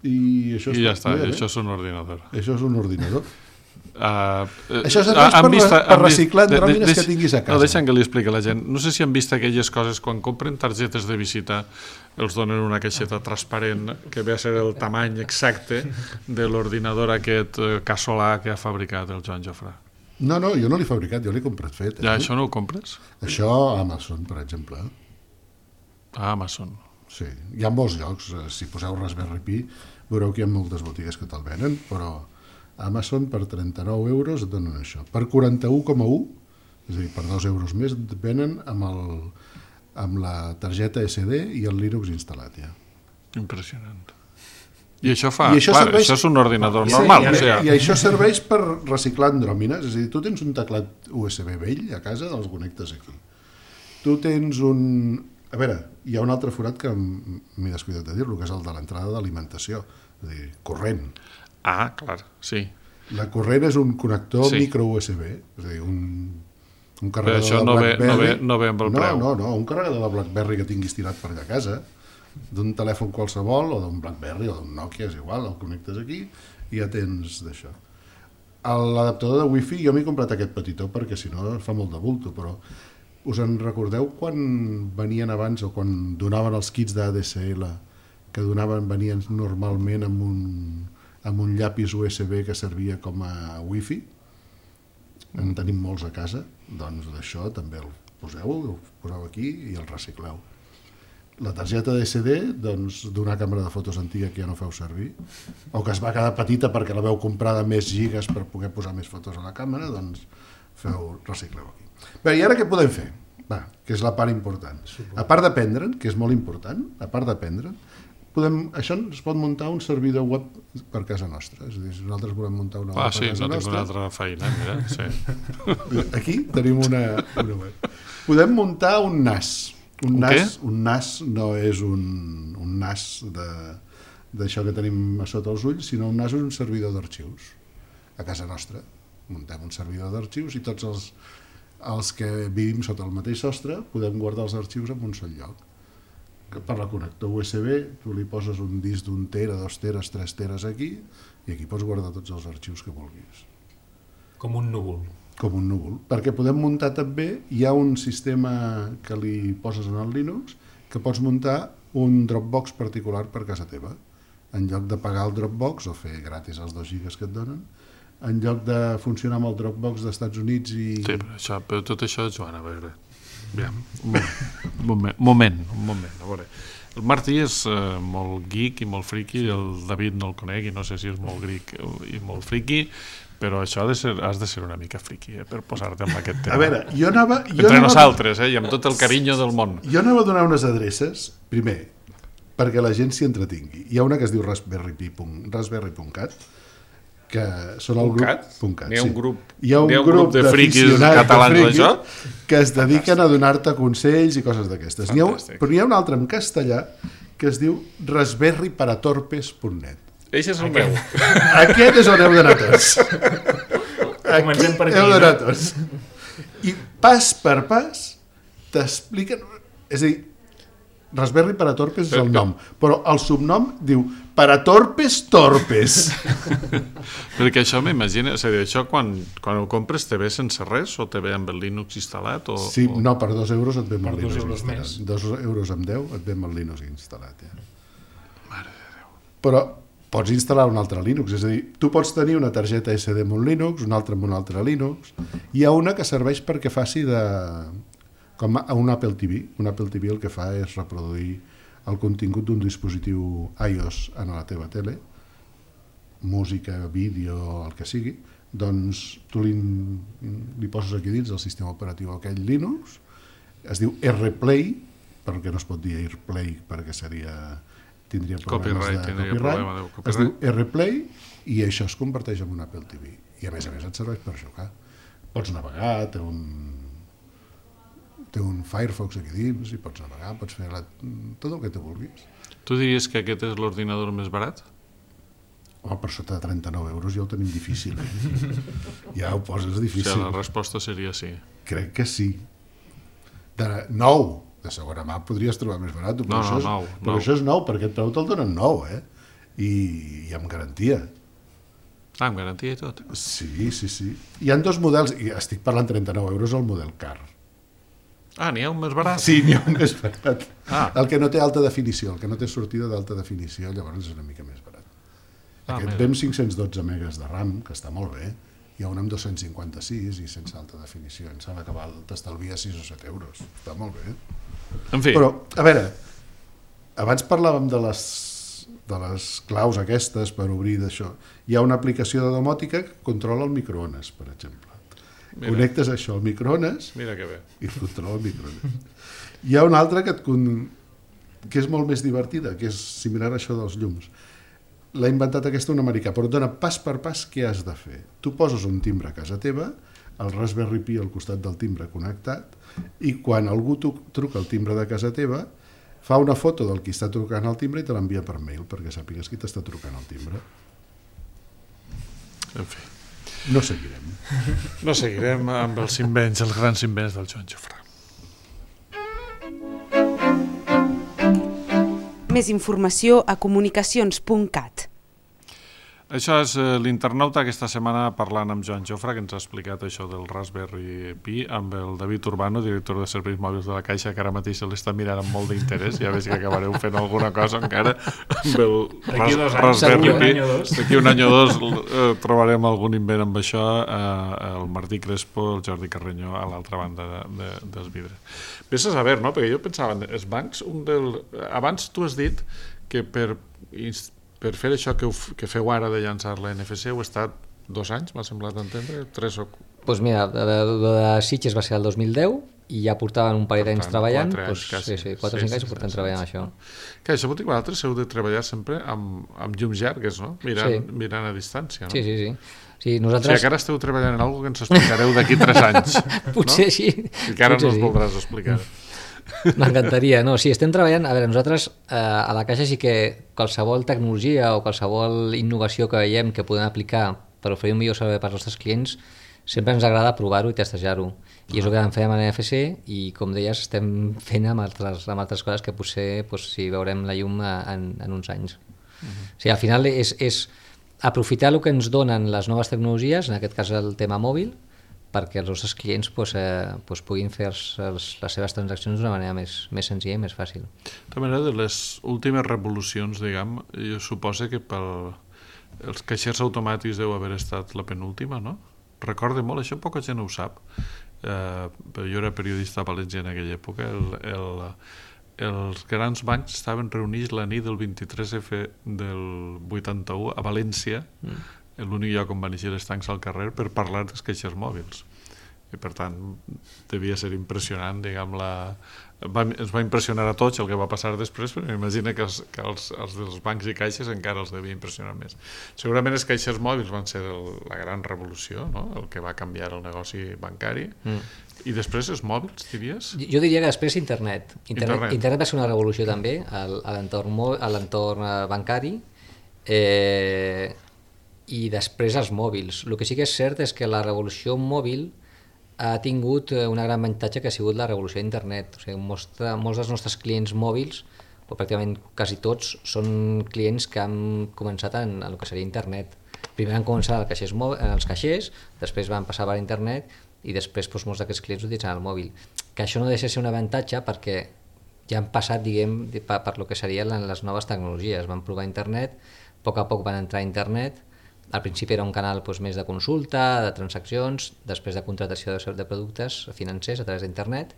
i això ja està, això és un ordinador. Això és un ordinador. Això serveix per reciclar andròmines que tinguis a casa. No, deixa'm que li expliqui a la gent. No sé si han vist aquelles coses quan compren targetes de visita, els donen una caixeta transparent que ve a ser el tamany exacte de l'ordinador aquest casolà que ha fabricat el Joan Jofrà. No, jo no l'he fabricat, jo l'he comprat fet. Ja, això no ho compres? Això a Amazon, per exemple. A Amazon. Sí, hi ha molts llocs. Si poseu Raspberry Pi, veureu que hi ha moltes botigues que te'l venen, però a Amazon per 39 euros et donen això. Per 41,1, és a dir, per 2 euros més, et venen amb la targeta SD i el Linux instal·lat ja. Impressionant. I això fa... Això és un ordinador normal. I això serveix per reciclar andròmines. És a dir, tu tens un teclat USB vell a casa, els connectes aquí. Tu tens un... A veure, hi ha un altre forat que m'he descuidat de dir-lo, que és el de l'entrada d'alimentació, és a dir, corrent. Ah, clar, sí. La corrent és un connector micro USB, és a dir, un carregador de BlackBerry. Però això no ve amb el preu. No, un carregador de BlackBerry que tinguis tirat per allà a casa, d'un telèfon qualsevol, o d'un BlackBerry, o d'un Nokia, és igual, el connectes aquí i ja tens d'això. L'adaptador de Wi-Fi, jo m'he comprat aquest petitó perquè si no fa molt de bulto, però us en recordeu quan venien abans o quan donaven els kits d'ADSL que venien normalment amb un llapis USB que servia com a Wi-Fi? En tenim molts a casa, doncs d'això també el poseu aquí i el recicleu. La targeta d'SD, doncs, d'una càmera de fotos antiga que ja no feu servir, o que es va quedar petita perquè la veu comprar de més gigas per poder posar més fotos a la càmera, doncs recicleu aquí. Bé, i ara què podem fer? Que és la part important. A part d'aprendre'n, que és molt important, això es pot muntar un servidor web per casa nostra. És a dir, si nosaltres volem muntar una web per casa nostra... Ah, sí, no tinc una altra feina, mira, sí. Aquí tenim una web. Podem muntar un NAS. Un NAS no és un NAS d'això que tenim a sota els ulls, sinó un NAS és un servidor d'arxius. A casa nostra muntem un servidor d'arxius i tots els que vivim sota el mateix sostre podem guardar els arxius en un sol lloc. Per la connector USB tu li poses un disc d'1 tera, 2 teres, 3 teres aquí i aquí pots guardar tots els arxius que vulguis. Com un núvol. Com un núvol. Perquè podem muntar també, hi ha un sistema que li poses en el Linux que pots muntar un Dropbox particular per casa teva. En lloc de pagar el Dropbox o fer gratis els 2 gigas que et donen, en lloc de funcionar amb el Dropbox dels Estats Units i... Sí, però tot això, Joan, a veure... Un moment, a veure. El Martí és molt geek i molt friki, el David no el conec i no sé si és molt geek i molt friki, però això has de ser una mica friki per posar-te en aquest tema. A veure, jo anava... Entre nosaltres, i amb tot el carinyo del món. Jo anava a donar unes adreces, primer, perquè la gent s'hi entretingui. Hi ha una que es diu Raspberry.cat, que són el grup... Hi ha un grup de friquis catalans d'això? Que es dediquen a donar-te consells i coses d'aquestes. Però hi ha un altre en castellà que es diu raspberryparatorpes.net. Eixe és el meu. Aquest és on heu d'anar tots. Comencem per aquí. Heu d'anar tots. I pas per pas t'expliquen... És a dir, Raspberry Paratorpes és el nom, però el subnom diu Paratorpes Torpes. Perquè això m'imagina, és a dir, això quan ho compres te ve sense res o te ve amb el Linux instal·lat? Sí, no, per 2 euros et ve amb el Linux instal·lat. 2 euros amb 10 et ve amb el Linux instal·lat. Mare de Déu. Però pots instal·lar un altre Linux, és a dir, tu pots tenir una targeta SD amb un Linux, una altra amb un altre Linux. Hi ha una que serveix perquè faci de... com a un Apple TV. Un Apple TV el que fa és reproduir el contingut d'un dispositiu iOS en la teva tele, música, vídeo, el que sigui, doncs tu li poses aquí dins el sistema operatiu aquell Linux, es diu RPlay, perquè no es pot dir AirPlay perquè tindria problemes de copyright, es diu RPlay i això es converteix en un Apple TV i a més et serveix per jugar. Pots navegar, té un Firefox aquí dins i pots navegar, pots fer tot el que tu vulguis. Tu diries que aquest és l'ordinador més barat? Home, per sota de 39 euros ja ho tenim difícil. Ja ho poses difícil. O sigui, la resposta seria sí. Crec que sí. Nou, de segona mà podries trobar més barat. Però això és nou, perquè el preu te'l donen nou, I amb garantia. Amb garantia i tot? Sí. Hi ha dos models, i estic parlant 39 euros el model car. N'hi ha un més barat? Sí, n'hi ha un més barat. El que no té alta definició, el que no té sortida d'alta definició, llavors és una mica més barat. Aquest ve amb 512 megas de RAM, que està molt bé. Hi ha un amb 256 i sense alta definició. Em sembla que t'estalvia 6 o 7 euros. Està molt bé. En fi. Però, a veure, abans parlàvem de les claus aquestes per obrir d'això. Hi ha una aplicació de domòtica que controla el microones, per exemple. Connectes això al microones i et controla el microones. Hi ha una altra que és molt més divertida, que és similar a això dels llums. L'ha inventat aquesta un americà, però et dona pas per pas què has de fer. Tu poses un timbre a casa teva, el Raspberry Pi al costat del timbre connectat, i quan algú truca el timbre de casa teva, fa una foto del qui està trucant el timbre i te l'envia per mail, perquè sàpigues qui t'està trucant el timbre. En fi. No seguirem. No seguirem amb els invents, els grans invents del Joan Jofré. Més informació a comunicacions.cat. Això és l'internauta aquesta setmana parlant amb Joan Jofré, que ens ha explicat això del Raspberry Pi, amb el David Urbano, director de serveis mòbils de la Caixa, que ara mateix se l'està mirant amb molt d'interès. Ja veig que acabareu fent alguna cosa encara amb el Raspberry Pi. D'aquí un any o dos trobarem algun invent amb això, el Martí Crespo, el Jordi Carrenyó a l'altra banda dels vidres. Vés a saber, no? Perquè jo pensava, els bancs, abans tu has dit que per fer això que feu ara de llançar la NFC heu estat 2 anys, m'ha semblat entendre, 3 o... Doncs mira, el de Sitges va ser el 2010 i ja portaven un parell d'anys treballant. 4 o 5 anys portem treballant això. Que això vol dir que vosaltres heu de treballar sempre amb llums llargues, no? Mirant a distància, no? Sí, nosaltres... O sigui, que ara esteu treballant en alguna cosa que ens explicareu d'aquí 3 anys. Potser sí. I que ara no ens voldràs explicar. M'encantaria, no, sí, estem treballant, a veure, nosaltres a la Caixa sí que qualsevol tecnologia o qualsevol innovació que veiem que podem aplicar per oferir un millor servei per als nostres clients, sempre ens agrada provar-ho i testejar-ho, i és el que vam fer amb NFC i com deies estem fent amb altres coses que potser si veurem la llum en uns anys. O sigui, al final és aprofitar el que ens donen les noves tecnologies, en aquest cas el tema mòbil, perquè els nostres clients puguin fer les seves transaccions d'una manera més senzilla i més fàcil. De manera, de les últimes revolucions, diguem, jo suposo que els caixers automàtics deu haver estat la penúltima, no? Recordo molt, això poca gent ho sap, però jo era periodista a València en aquella època, els grans bancs estaven reunits la nit del 23F del 81 a València, l'únic lloc on van eixir els tancs al carrer per parlar dels caixers mòbils. I per tant, devia ser impressionant, diguem, ens va impressionar a tots el que va passar després, però m'imagino que els dels bancs i caixes encara els devia impressionar més. Segurament els caixers mòbils van ser la gran revolució, no? El que va canviar el negoci bancari. I després els mòbils, diries? Jo diria que després internet. Internet va ser una revolució també a l'entorn bancari, i després els mòbils. El que sí que és cert és que la revolució mòbil ha tingut una gran avantatge que ha sigut la revolució d'internet. O sigui, molts dels nostres clients mòbils, o pràcticament quasi tots, són clients que han començat en el que seria internet. Primer van començar en els caixers, després van passar per internet i després molts d'aquests clients utilitzen el mòbil. Que això no deixa de ser un avantatge perquè ja han passat, diguem, per lo que serien les noves tecnologies. Van provar internet, a poc van entrar a internet. Al principi era un canal més de consulta, de transaccions, després de contractació de productes financers a través d'internet,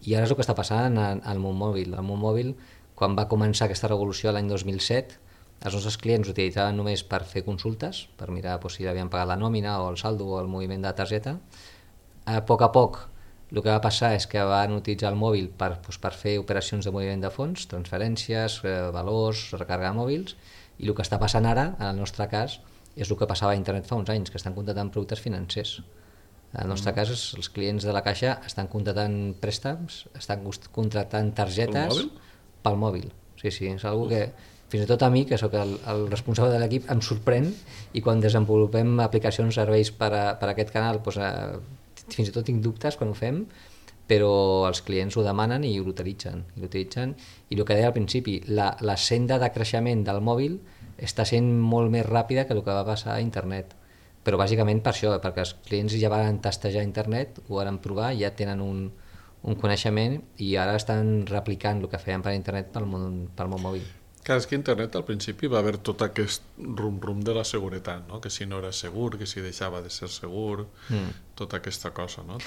i ara és el que està passant al món mòbil. Al món mòbil, quan va començar aquesta revolució l'any 2007, els nostres clients utilitzaven només per fer consultes, per mirar si havien pagat la nòmina o el saldo o el moviment de la targeta. A poc, el que va passar és que van utilitzar el mòbil per fer operacions de moviment de fons, transferències, valors, recàrrega de mòbils, i el que està passant ara, en el nostre cas, és el que passava a internet fa uns anys, que estan contractant productes financers. En el nostre cas, els clients de la Caixa estan contractant préstecs, estan contractant targetes pel mòbil. Sí, és una que fins i tot a mi, que sóc el responsable de l'equip, em sorprèn, i quan desenvolupem aplicacions, serveis per aquest canal, fins i tot tinc dubtes quan ho fem, però els clients ho demanen i l'utilitzen. I el que deia al principi, la senda de creixement del mòbil està sent molt més ràpida que el que va passar a internet. Però bàsicament per això, perquè els clients ja van tastejar internet, ho van provar, ja tenen un coneixement i ara estan replicant el que feien per internet pel món mòbil. Clar, és que internet al principi va haver tot aquest rum-rum de la seguretat, no? Que si no era segur, que si deixava de ser segur, tota aquesta cosa, no?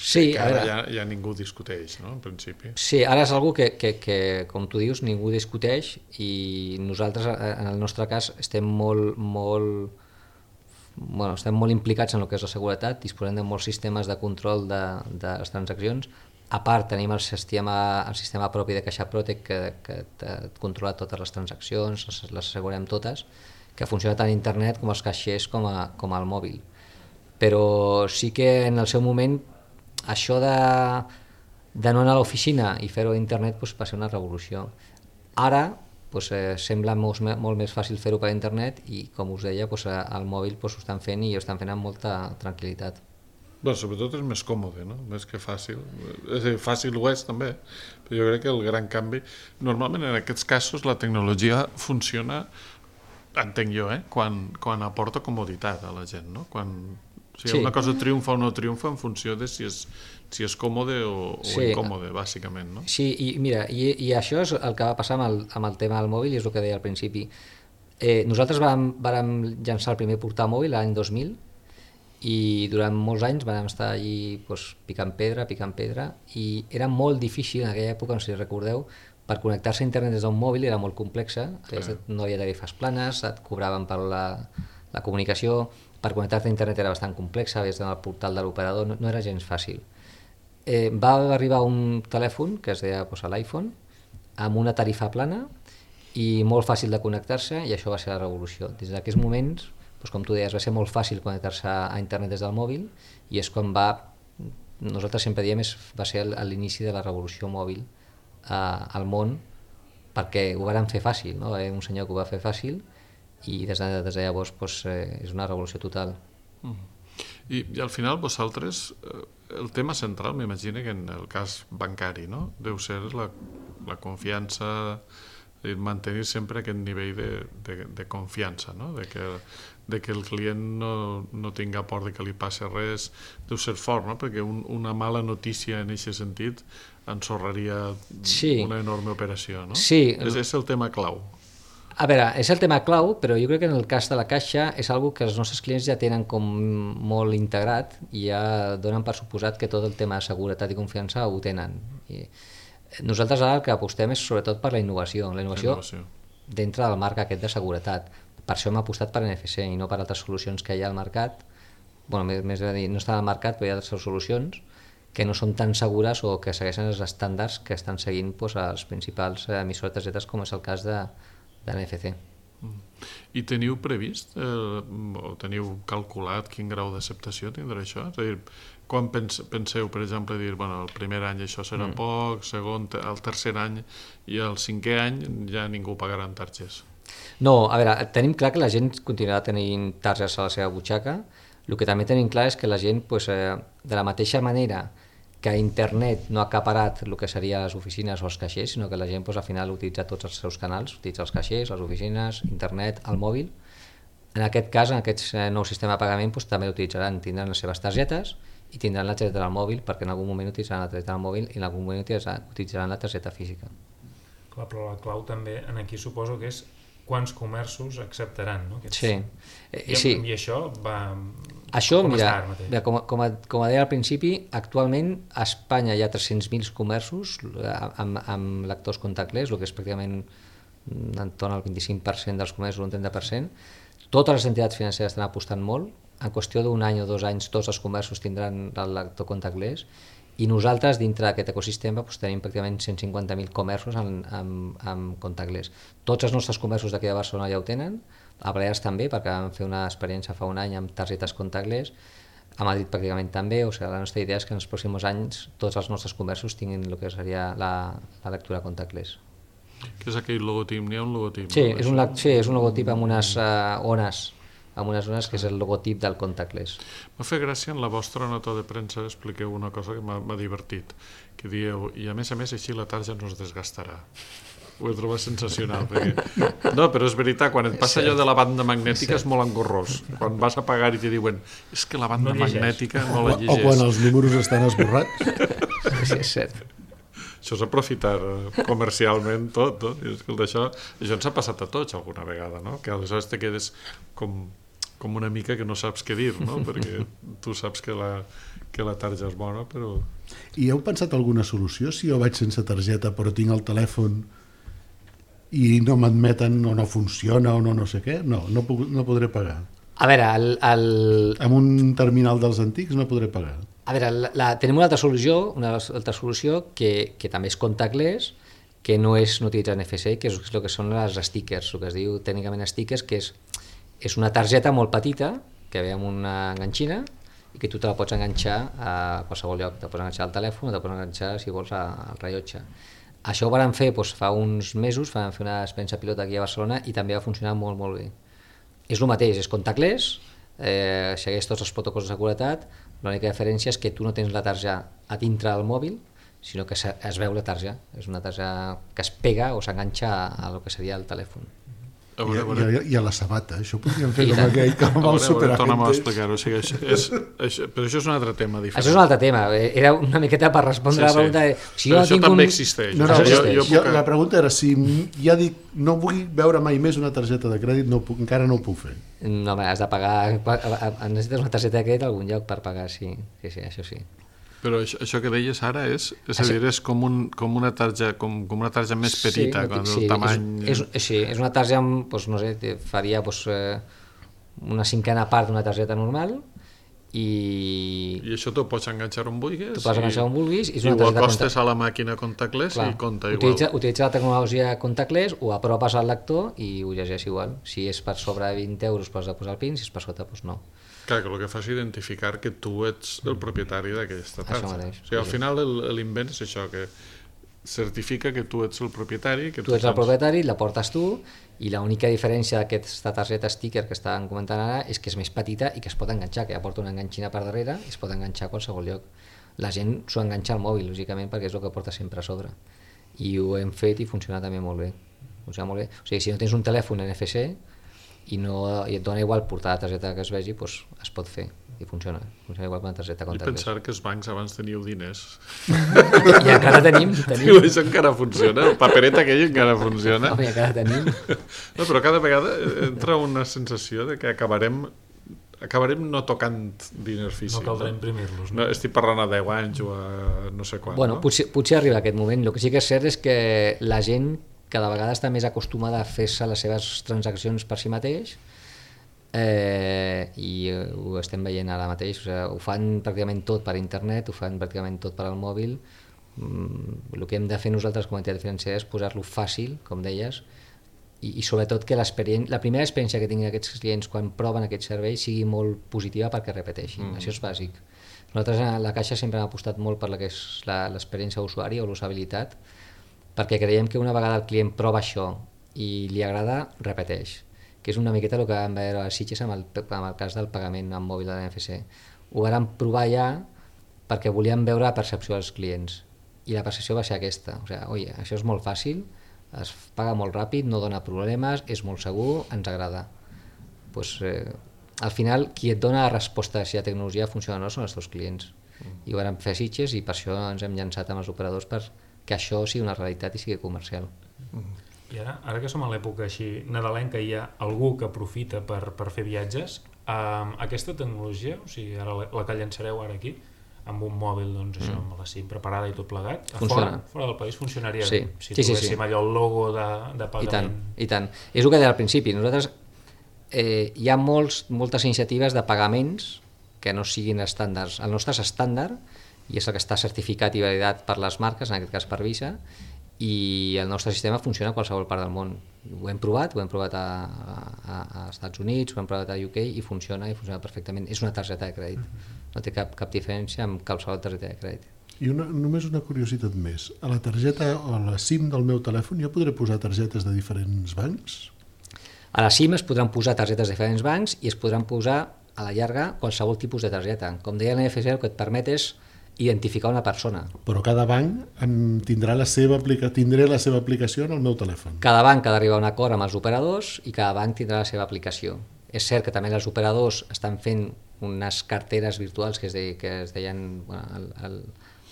Sí, que ara ja ningú discuteix, no? En principi. Sí, ara és algo que, com tu dius, ningú discuteix, i nosaltres, en el nostre cas, estem molt implicats en el que és la seguretat, disposem de molts sistemes de control de les transaccions. A part, tenim el sistema propi de CaixaProtect que controla totes les transaccions, les assegurem totes, que funciona tant a internet com als caixers com al mòbil. Però sí que en el seu moment això de no anar a l'oficina i fer-ho a internet va ser una revolució. Ara sembla molt més fàcil fer-ho per internet i, com us deia, al mòbil ho estan fent i ho estan fent amb molta tranquil·litat. Bé, sobretot és més còmode, no? Més que fàcil. És a dir, fàcil ho és també, però jo crec que el gran canvi... Normalment en aquests casos la tecnologia funciona, entenc jo, quan aporta comoditat a la gent, no? Si una cosa triomfa o no triomfa en funció de si és còmode o incòmode, bàsicament, no? Sí, i mira, i això és el que va passar amb el tema del mòbil, i és el que deia al principi. Nosaltres vàrem llançar el primer portàmòbil l'any 2000, i durant molts anys vam estar allí picant pedra, i era molt difícil en aquella època, no sé si recordeu, per connectar-se a internet des d'un mòbil era molt complexa, no hi havia tarifes planes, et cobraven per la comunicació, per connectar-te a internet era bastant complexa, havies d'anar al portal de l'operador, no era gens fàcil. Va arribar un telèfon que es deia l'iPhone, amb una tarifa plana i molt fàcil de connectar-se, i això va ser la revolució. Des d'aquests moments, com tu deies, va ser molt fàcil connectar-se a internet des del mòbil, i és quan nosaltres sempre diem, va ser l'inici de la revolució mòbil al món, perquè ho varen fer fàcil, no? Va haver un senyor que ho va fer fàcil, i des de llavors és una revolució total. I al final vosaltres, el tema central m'imagino que en el cas bancari, no? Deu ser la confiança, mantenir sempre aquest nivell de confiança, no? De que el client no tinga por de que li passi res, deu ser fort, no? Perquè una mala notícia en aquest sentit ensorraria una enorme operació, no? Sí. És el tema clau. A veure, és el tema clau, però jo crec que en el cas de la Caixa és una que els nostres clients ja tenen com molt integrat i ja donen per suposat que tot el tema de seguretat i confiança ho tenen. Nosaltres ara el que apostem és sobretot per la innovació dintre del marc aquest de seguretat. Per això hem apostat per NFC i no per altres solucions que hi ha al mercat. Més a dir, no estan al mercat, però hi ha altres solucions que no són tan segures o que segueixen els estàndards que estan seguint els principals emissors de targetes, com és el cas de NFC. I teniu previst o teniu calculat quin grau d'acceptació tindrà això? És a dir, quan penseu, per exemple, dir, el primer any això serà poc, segon, el tercer any i el cinquè any ja ningú pagarà en targes? No, a veure, tenim clar que la gent continuarà tenint targes a la seva butxaca. El que també tenim clar és que la gent, de la mateixa manera que internet no ha acaparat el que seria les oficines o els caixers, sinó que la gent al final utilitza tots els seus canals, utilitza els caixers, les oficines, internet, el mòbil. En aquest cas, en aquest nou sistema de pagament, també l'utilitzaran, tindran les seves targetes i tindran la targeta del mòbil, perquè en algun moment utilitzaran la targeta del mòbil i en algun moment utilitzaran la targeta física. Clar, però la clau també aquí suposo que és quants comerços acceptaran, no? Sí. I això va... Això, mira, com deia al principi, actualment a Espanya hi ha 300.000 comerços amb lectors contactless, el que és pràcticament entorn al 25% dels comerços, un 30%. Totes les entitats financeres estan apostant molt. En qüestió d'un any o 2 anys tots els comerços tindran el lector contactless, i nosaltres dintre d'aquest ecosistema tenim pràcticament 150.000 comerços amb contactless. Tots els nostres comerços d'aquí de Barcelona ja ho tenen, a Balears també, perquè vam fer una experiència fa un any amb targetes contactless, a Madrid pràcticament també. O sigui, la nostra idea és que en els pròxims anys tots els nostres comerços tinguin el que seria la lectura contactless. Que és aquell logotip, n'hi ha un logotip. Sí, és un logotip amb unes ones, que és el logotip del contactless. M'ha fet gràcia en la vostra nota de premsa, expliqueu una cosa que m'ha divertit, que dieu, i a més així la tarja no es desgastarà. Ho he trobat sensacional, perquè... No, però és veritat, quan et passa allò de la banda magnètica és molt engorrós. Quan vas a pagar i te diuen és que la banda magnètica no la llegeix. O quan els números estan esborrats. Sí, és cert. Això és aprofitar comercialment tot, no? I escolta, això ens ha passat a tots alguna vegada, no? Que aleshores te quedes com una mica que no saps què dir, no? Perquè tu saps que la tarja és bona, però... I heu pensat alguna solució? Si jo vaig sense targeta però tinc el telèfon i no m'admeten o no funciona o no sé què, no podré pagar. A veure, amb un terminal dels antics no podré pagar. A veure, tenim una altra solució que també és contactless, que no utilitza NFC, que és el que són les stickers, el que es diu tècnicament stickers, que és una targeta molt petita que ve amb una enganxina i que tu te la pots enganxar a qualsevol lloc, te pots enganxar al telèfon o te pots enganxar, si vols, al rellotge. Això ho van fer fa uns mesos, van fer una experiència pilot aquí a Barcelona i també va funcionar molt, molt bé. És el mateix, és contactless, segueix tots els protocols de seguretat, l'única diferència és que tu no tens la tarja a dintre del mòbil, sinó que es veu la tarja, és una tarja que es pega o s'enganxa a lo que seria el telèfon. I a la sabata, això podríem fer com aquell que va superar. Torna'm a explicar-ho, però això és un altre tema diferent. Això és un altre tema, era una miqueta per respondre a la pregunta. Però això també existeix. La pregunta era si ja dic no vull veure mai més una targeta de crèdit, encara no ho puc fer. No, has de pagar, necessites una targeta de crèdit a algun lloc per pagar, sí, això sí. Però això que deies ara és com una tarja més petita, el tamany... Sí, és una tarja, no sé, faria una cinquena part d'una targeta normal i això t'ho pots enganxar on vulguis? T'ho pots enganxar on vulguis i ho acostes a la màquina contactless i compta igual. Utilitza la tecnologia contactless, ho apropes al lector i ho llegeix igual. Si és per sobre 20 euros pots posar el PIN, si és per sota, doncs no. Clar, que el que fa és identificar que tu ets el propietari d'aquesta tarja. Això mateix. O sigui, al final l'invent és això, que certifica que tu ets el propietari. Tu ets el propietari, la portes tu, i l'única diferència d'aquesta targeta sticker que estàvem comentant ara és que és més petita i que es pot enganxar, que ja porta una enganxina per darrere i es pot enganxar a qualsevol lloc. La gent s'ho enganxa al mòbil, lògicament, perquè és el que porta sempre a sobre. I ho hem fet i funciona també molt bé. O sigui, si no tens un telèfon NFC i et dona igual portar la targeta que es vegi, doncs es pot fer i funciona igual amb la targeta contactless. I pensar que els bancs abans teníeu diners. I encara tenim. I això encara funciona, el paperet aquell encara funciona. I encara tenim. No, però cada vegada entra una sensació de que acabarem no tocant diners físics. No caldrà imprimir-los. No, estic parlant a 10 anys o a no sé quan. Bueno, potser arriba aquest moment. El que sí que és cert és que la gent cada vegada està més acostumada a fer-se les seves transaccions per si mateix i ho estem veient ara mateix. Ho fan pràcticament tot per internet, ho fan pràcticament tot per al mòbil. El que hem de fer nosaltres com a entitat financera és posar-lo fàcil, com deies, i sobretot que la primera experiència que tinguin aquests clients quan proven aquest servei sigui molt positiva perquè repeteixin. Això és bàsic. Nosaltres a la Caixa sempre hem apostat molt per la que és l'experiència d'usuari o l'usabilitat, perquè creiem que una vegada el client prova això i li agrada, repeteix, que és una miqueta el que vam veure a Sitges amb el cas del pagament amb mòbil de l'NFC. Ho vam provar ja perquè volíem veure la percepció dels clients i la percepció va ser aquesta, això és molt fàcil, es paga molt ràpid, no dona problemes, és molt segur, ens agrada. Al final, qui et dona la resposta si la tecnologia funciona o no són els teus clients. I ho vam fer a Sitges i per això ens hem llançat amb els operadors perquè això sigui una realitat i sigui comercial. I ara que som a l'època així nadalenca i hi ha algú que aprofita per fer viatges, aquesta tecnologia, o sigui, ara la que llançareu ara aquí, amb un mòbil, doncs això, amb la SIM preparada i tot plegat, fora del país funcionaria bé. Si trobéssim allò el logo de pagament. I tant. És el que deia al principi. Nosaltres hi ha moltes iniciatives de pagaments que no siguin estàndards. El nostre és estàndard i és el que està certificat i validat per les marques, en aquest cas per Visa, i el nostre sistema funciona a qualsevol part del món. Ho hem provat a Estats Units, ho hem provat a UK i funciona perfectament. És una targeta de crèdit, no té cap diferència amb qualsevol targeta de crèdit. I només una curiositat més. A la targeta o a la SIM del meu telèfon jo podré posar targetes de diferents bancs? A la SIM es podran posar targetes de diferents bancs i es podran posar a la llarga qualsevol tipus de targeta. Com deia l'NFC, el que et permet és identificar una persona. Però cada banc tindré la seva aplicació en el meu telèfon. Cada banc ha d'arribar a un acord amb els operadors i cada banc tindrà la seva aplicació. És cert que també els operadors estan fent unes carteres virtuals que es deien,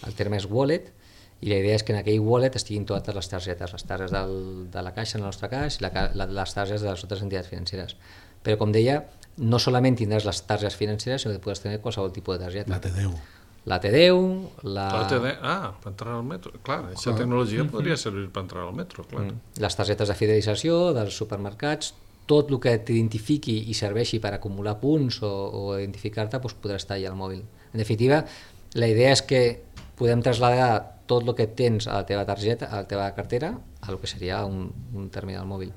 el terme és wallet, i la idea és que en aquell wallet estiguin totes les targetes de la Caixa, en el nostre cas, i les targetes de les altres entitats financeres. Però, com deia, no solament tindràs les targetes financeres, sinó que podràs tenir qualsevol tipus de targeta. La T10. La T10, per entrar al metro. Clar, aquesta tecnologia podria servir per entrar al metro, clar. Les targetes de fidelització dels supermercats, tot el que t'identifiqui i serveixi per acumular punts o identificar-te podrà estar allà al mòbil. En definitiva, la idea és que podem traslladar tot el que tens a la teva targeta, a la teva cartera, a el que seria un terminal mòbil.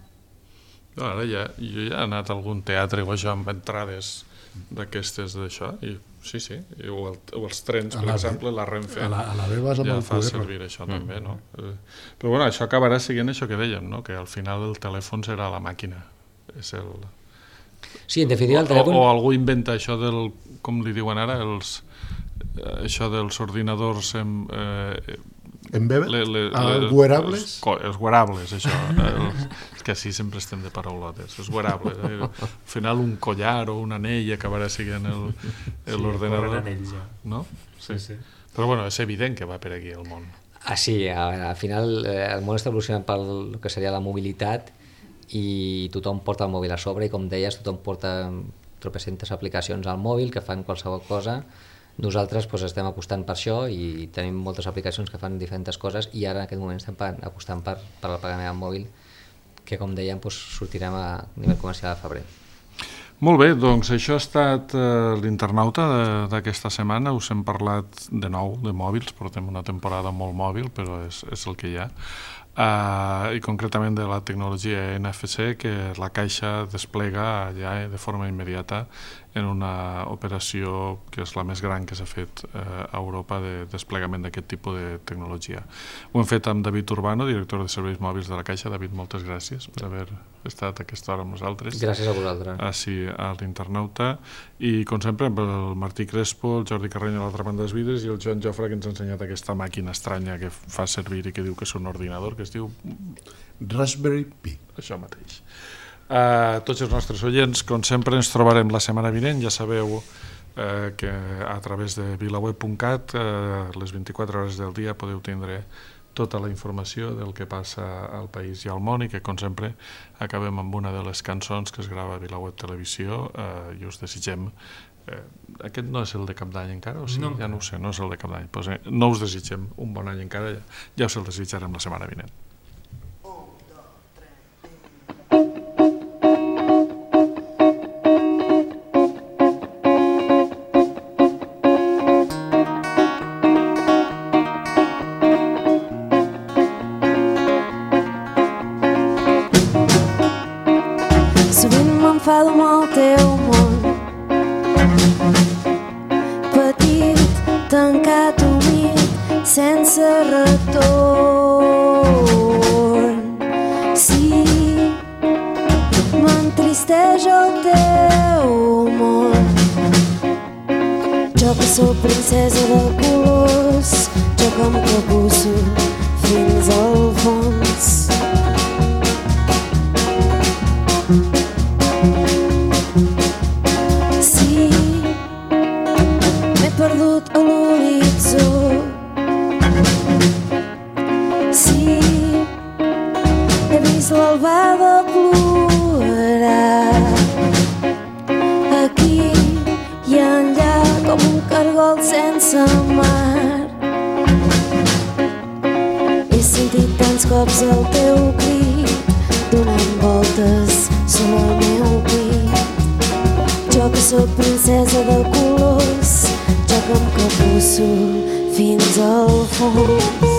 Ara jo ja he anat a algun teatre o això amb entrades d'aquestes d'això, i sí, o els trens, per exemple, la Renfe ja fa servir això també, no? Però bueno, això acabarà sent això que dèiem, no? Que al final el telèfon serà la màquina. Sí, en definitiva el telèfon... O algú inventa això del, com li diuen ara, això dels ordinadors wearables? Els wearables, això. És que així sempre estem de paraulotes. Els wearables. Al final un collar o un anell acabarà sent l'ordenador. No? Sí. Però bueno, és evident que va per aquí el món. Sí, al final el món està evolucionant pel que seria la mobilitat i tothom porta el mòbil a sobre i, com deies, tothom porta tropecentes aplicacions al mòbil que fan qualsevol cosa. Nosaltres estem apostant per això i tenim moltes aplicacions que fan diferents coses i ara en aquest moment estem apostant per el pagament al mòbil que, com dèiem, sortirem a nivell comercial a febrer. Molt bé, doncs això ha estat l'internauta d'aquesta setmana. Us hem parlat de nou de mòbils, portem una temporada molt mòbil, però és el que hi ha. I concretament de la tecnologia NFC que la Caixa desplega ja de forma immediata en una operació que és la més gran que s'ha fet a Europa de desplegament d'aquest tipus de tecnologia. Ho hem fet amb David Urbano, director de serveis mòbils de la Caixa. David, moltes gràcies per haver estat a aquesta hora amb nosaltres. Gràcies a vosaltres. Així a l'internauta. I com sempre amb el Martí Crespo, el Jordi Carreny a l'altra banda dels vidres i el Joan Jofre, que ens ha ensenyat aquesta màquina estranya que fa servir i que diu que és un ordinador, que es diu Raspberry Pi. Això mateix. A tots els nostres oients, com sempre, ens trobarem la setmana vinent. Ja sabeu que a través de vilaweb.cat les 24 hores del dia podeu tindre tota la informació del que passa al país i al món, i que, com sempre, acabem amb una de les cançons que es grava a Vilaweb Televisió i us desitgem... Aquest no és el de cap d'any encara? O sí? No. Ja no ho sé, no és el de cap d'any. Pues, no us desitgem un bon any encara, ja us el desitjarem la setmana vinent. Sovint m'enfado amb el teu món, petit, tancat, humit, sense retorn. Sí, m'entristeix el teu món. Jo que sóc princesa de colors, jo que em capusso fins al fons. Sí, m'he perdut a l'horitzó. Sí, he vist l'albada plorar. Aquí i enllà com un cargol sense mar. He sentit tants cops el teu crit donant voltes sobre el meu pit. Jo que sóc princesa de colors, jo que em capusso fins al fons.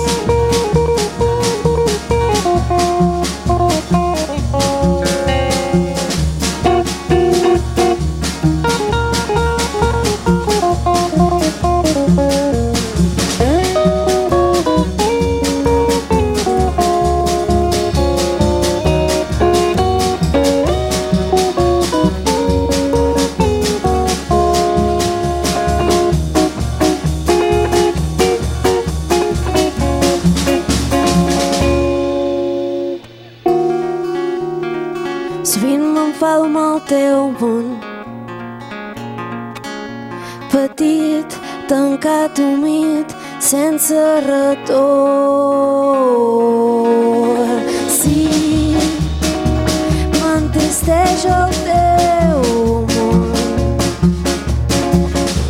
teu món. Petit, tancat, humit, sense retorn. Sí, m'entristeix el teu món.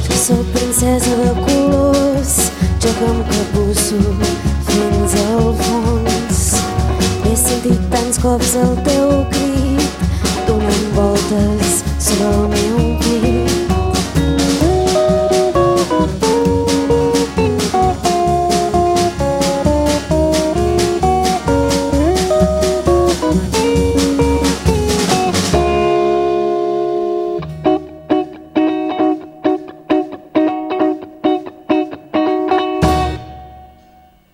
Jo soc princesa de colors, jo que em capusso fins al fons. He sentit tants cops el teu crit, donant voltes sobre el meu pit.